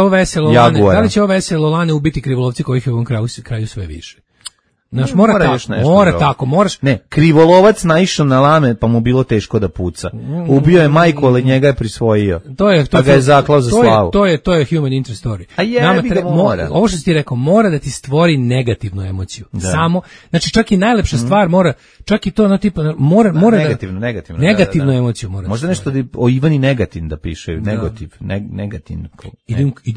ovo veselo Lane ubiti krivolovci kojih je u ovom kraju sve više? Znaš, mora tako, moraš... Ne, krivolovac naišao na Lane, pa mu bilo teško da puca. Ubio je majku, ali njega je prisvojio. Pa ga je zaklao za slavu. To je human interest story. A jebi ga mora. Ovo što si ti rekao, mora da ti stvori negativnu emociju. Da. Samo, znači čak i najlepša stvar mora, čak i to ono tipa, mora negativnu emociju mora. Možda nešto o Ivani Negatin da piše, negativno.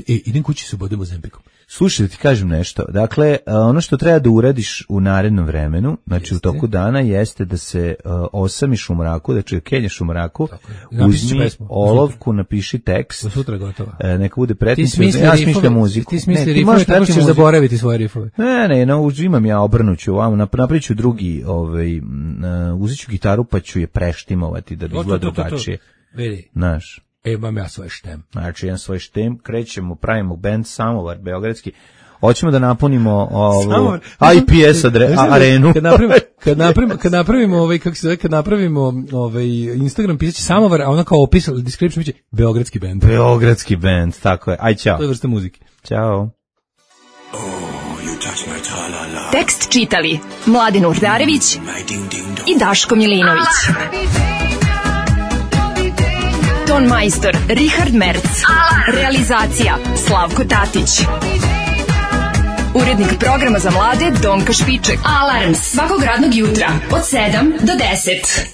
Idem kući se bodemo zempikom. Slušaj, da ti kažem nešto. Dakle, ono što treba da uradiš u narednom vremenu, znači u toku dana, jeste da se osamiš u mraku, znači kenješ u mraku, uzmi olovku, napiši tekst. Do sutra gotova. Neka bude pretnicu. Ja smišljam muziku. Ti smisli rifove, tako ćeš zaboraviti svoje rifove. Ne, imam ja, obrnuću, napravit ću drugi, uzet ću gitaru pa ću je preštimovati da bi izgleda drugačije. Vidi. Znaš. Imam ja svoj štem. Znači, jedan svoj štem, krećemo, pravimo band Samovar, beogradski. Hoćemo da napunimo IPS arenu. Kad napravimo Instagram, pisaće Samovar, a ona kao opis, description biće beogradski band. Beogradski band, tako je. Aj, čao. To je vrsta muzike. Ćao. Tekst čitali Mladin Urdarević i Daško Milinović. Ton majstor Richard Merc. Realizacija Slavko Tatić. Urednik programa za mlade Donka Špiček. Alarms svakog radnog jutra od 7 do 10.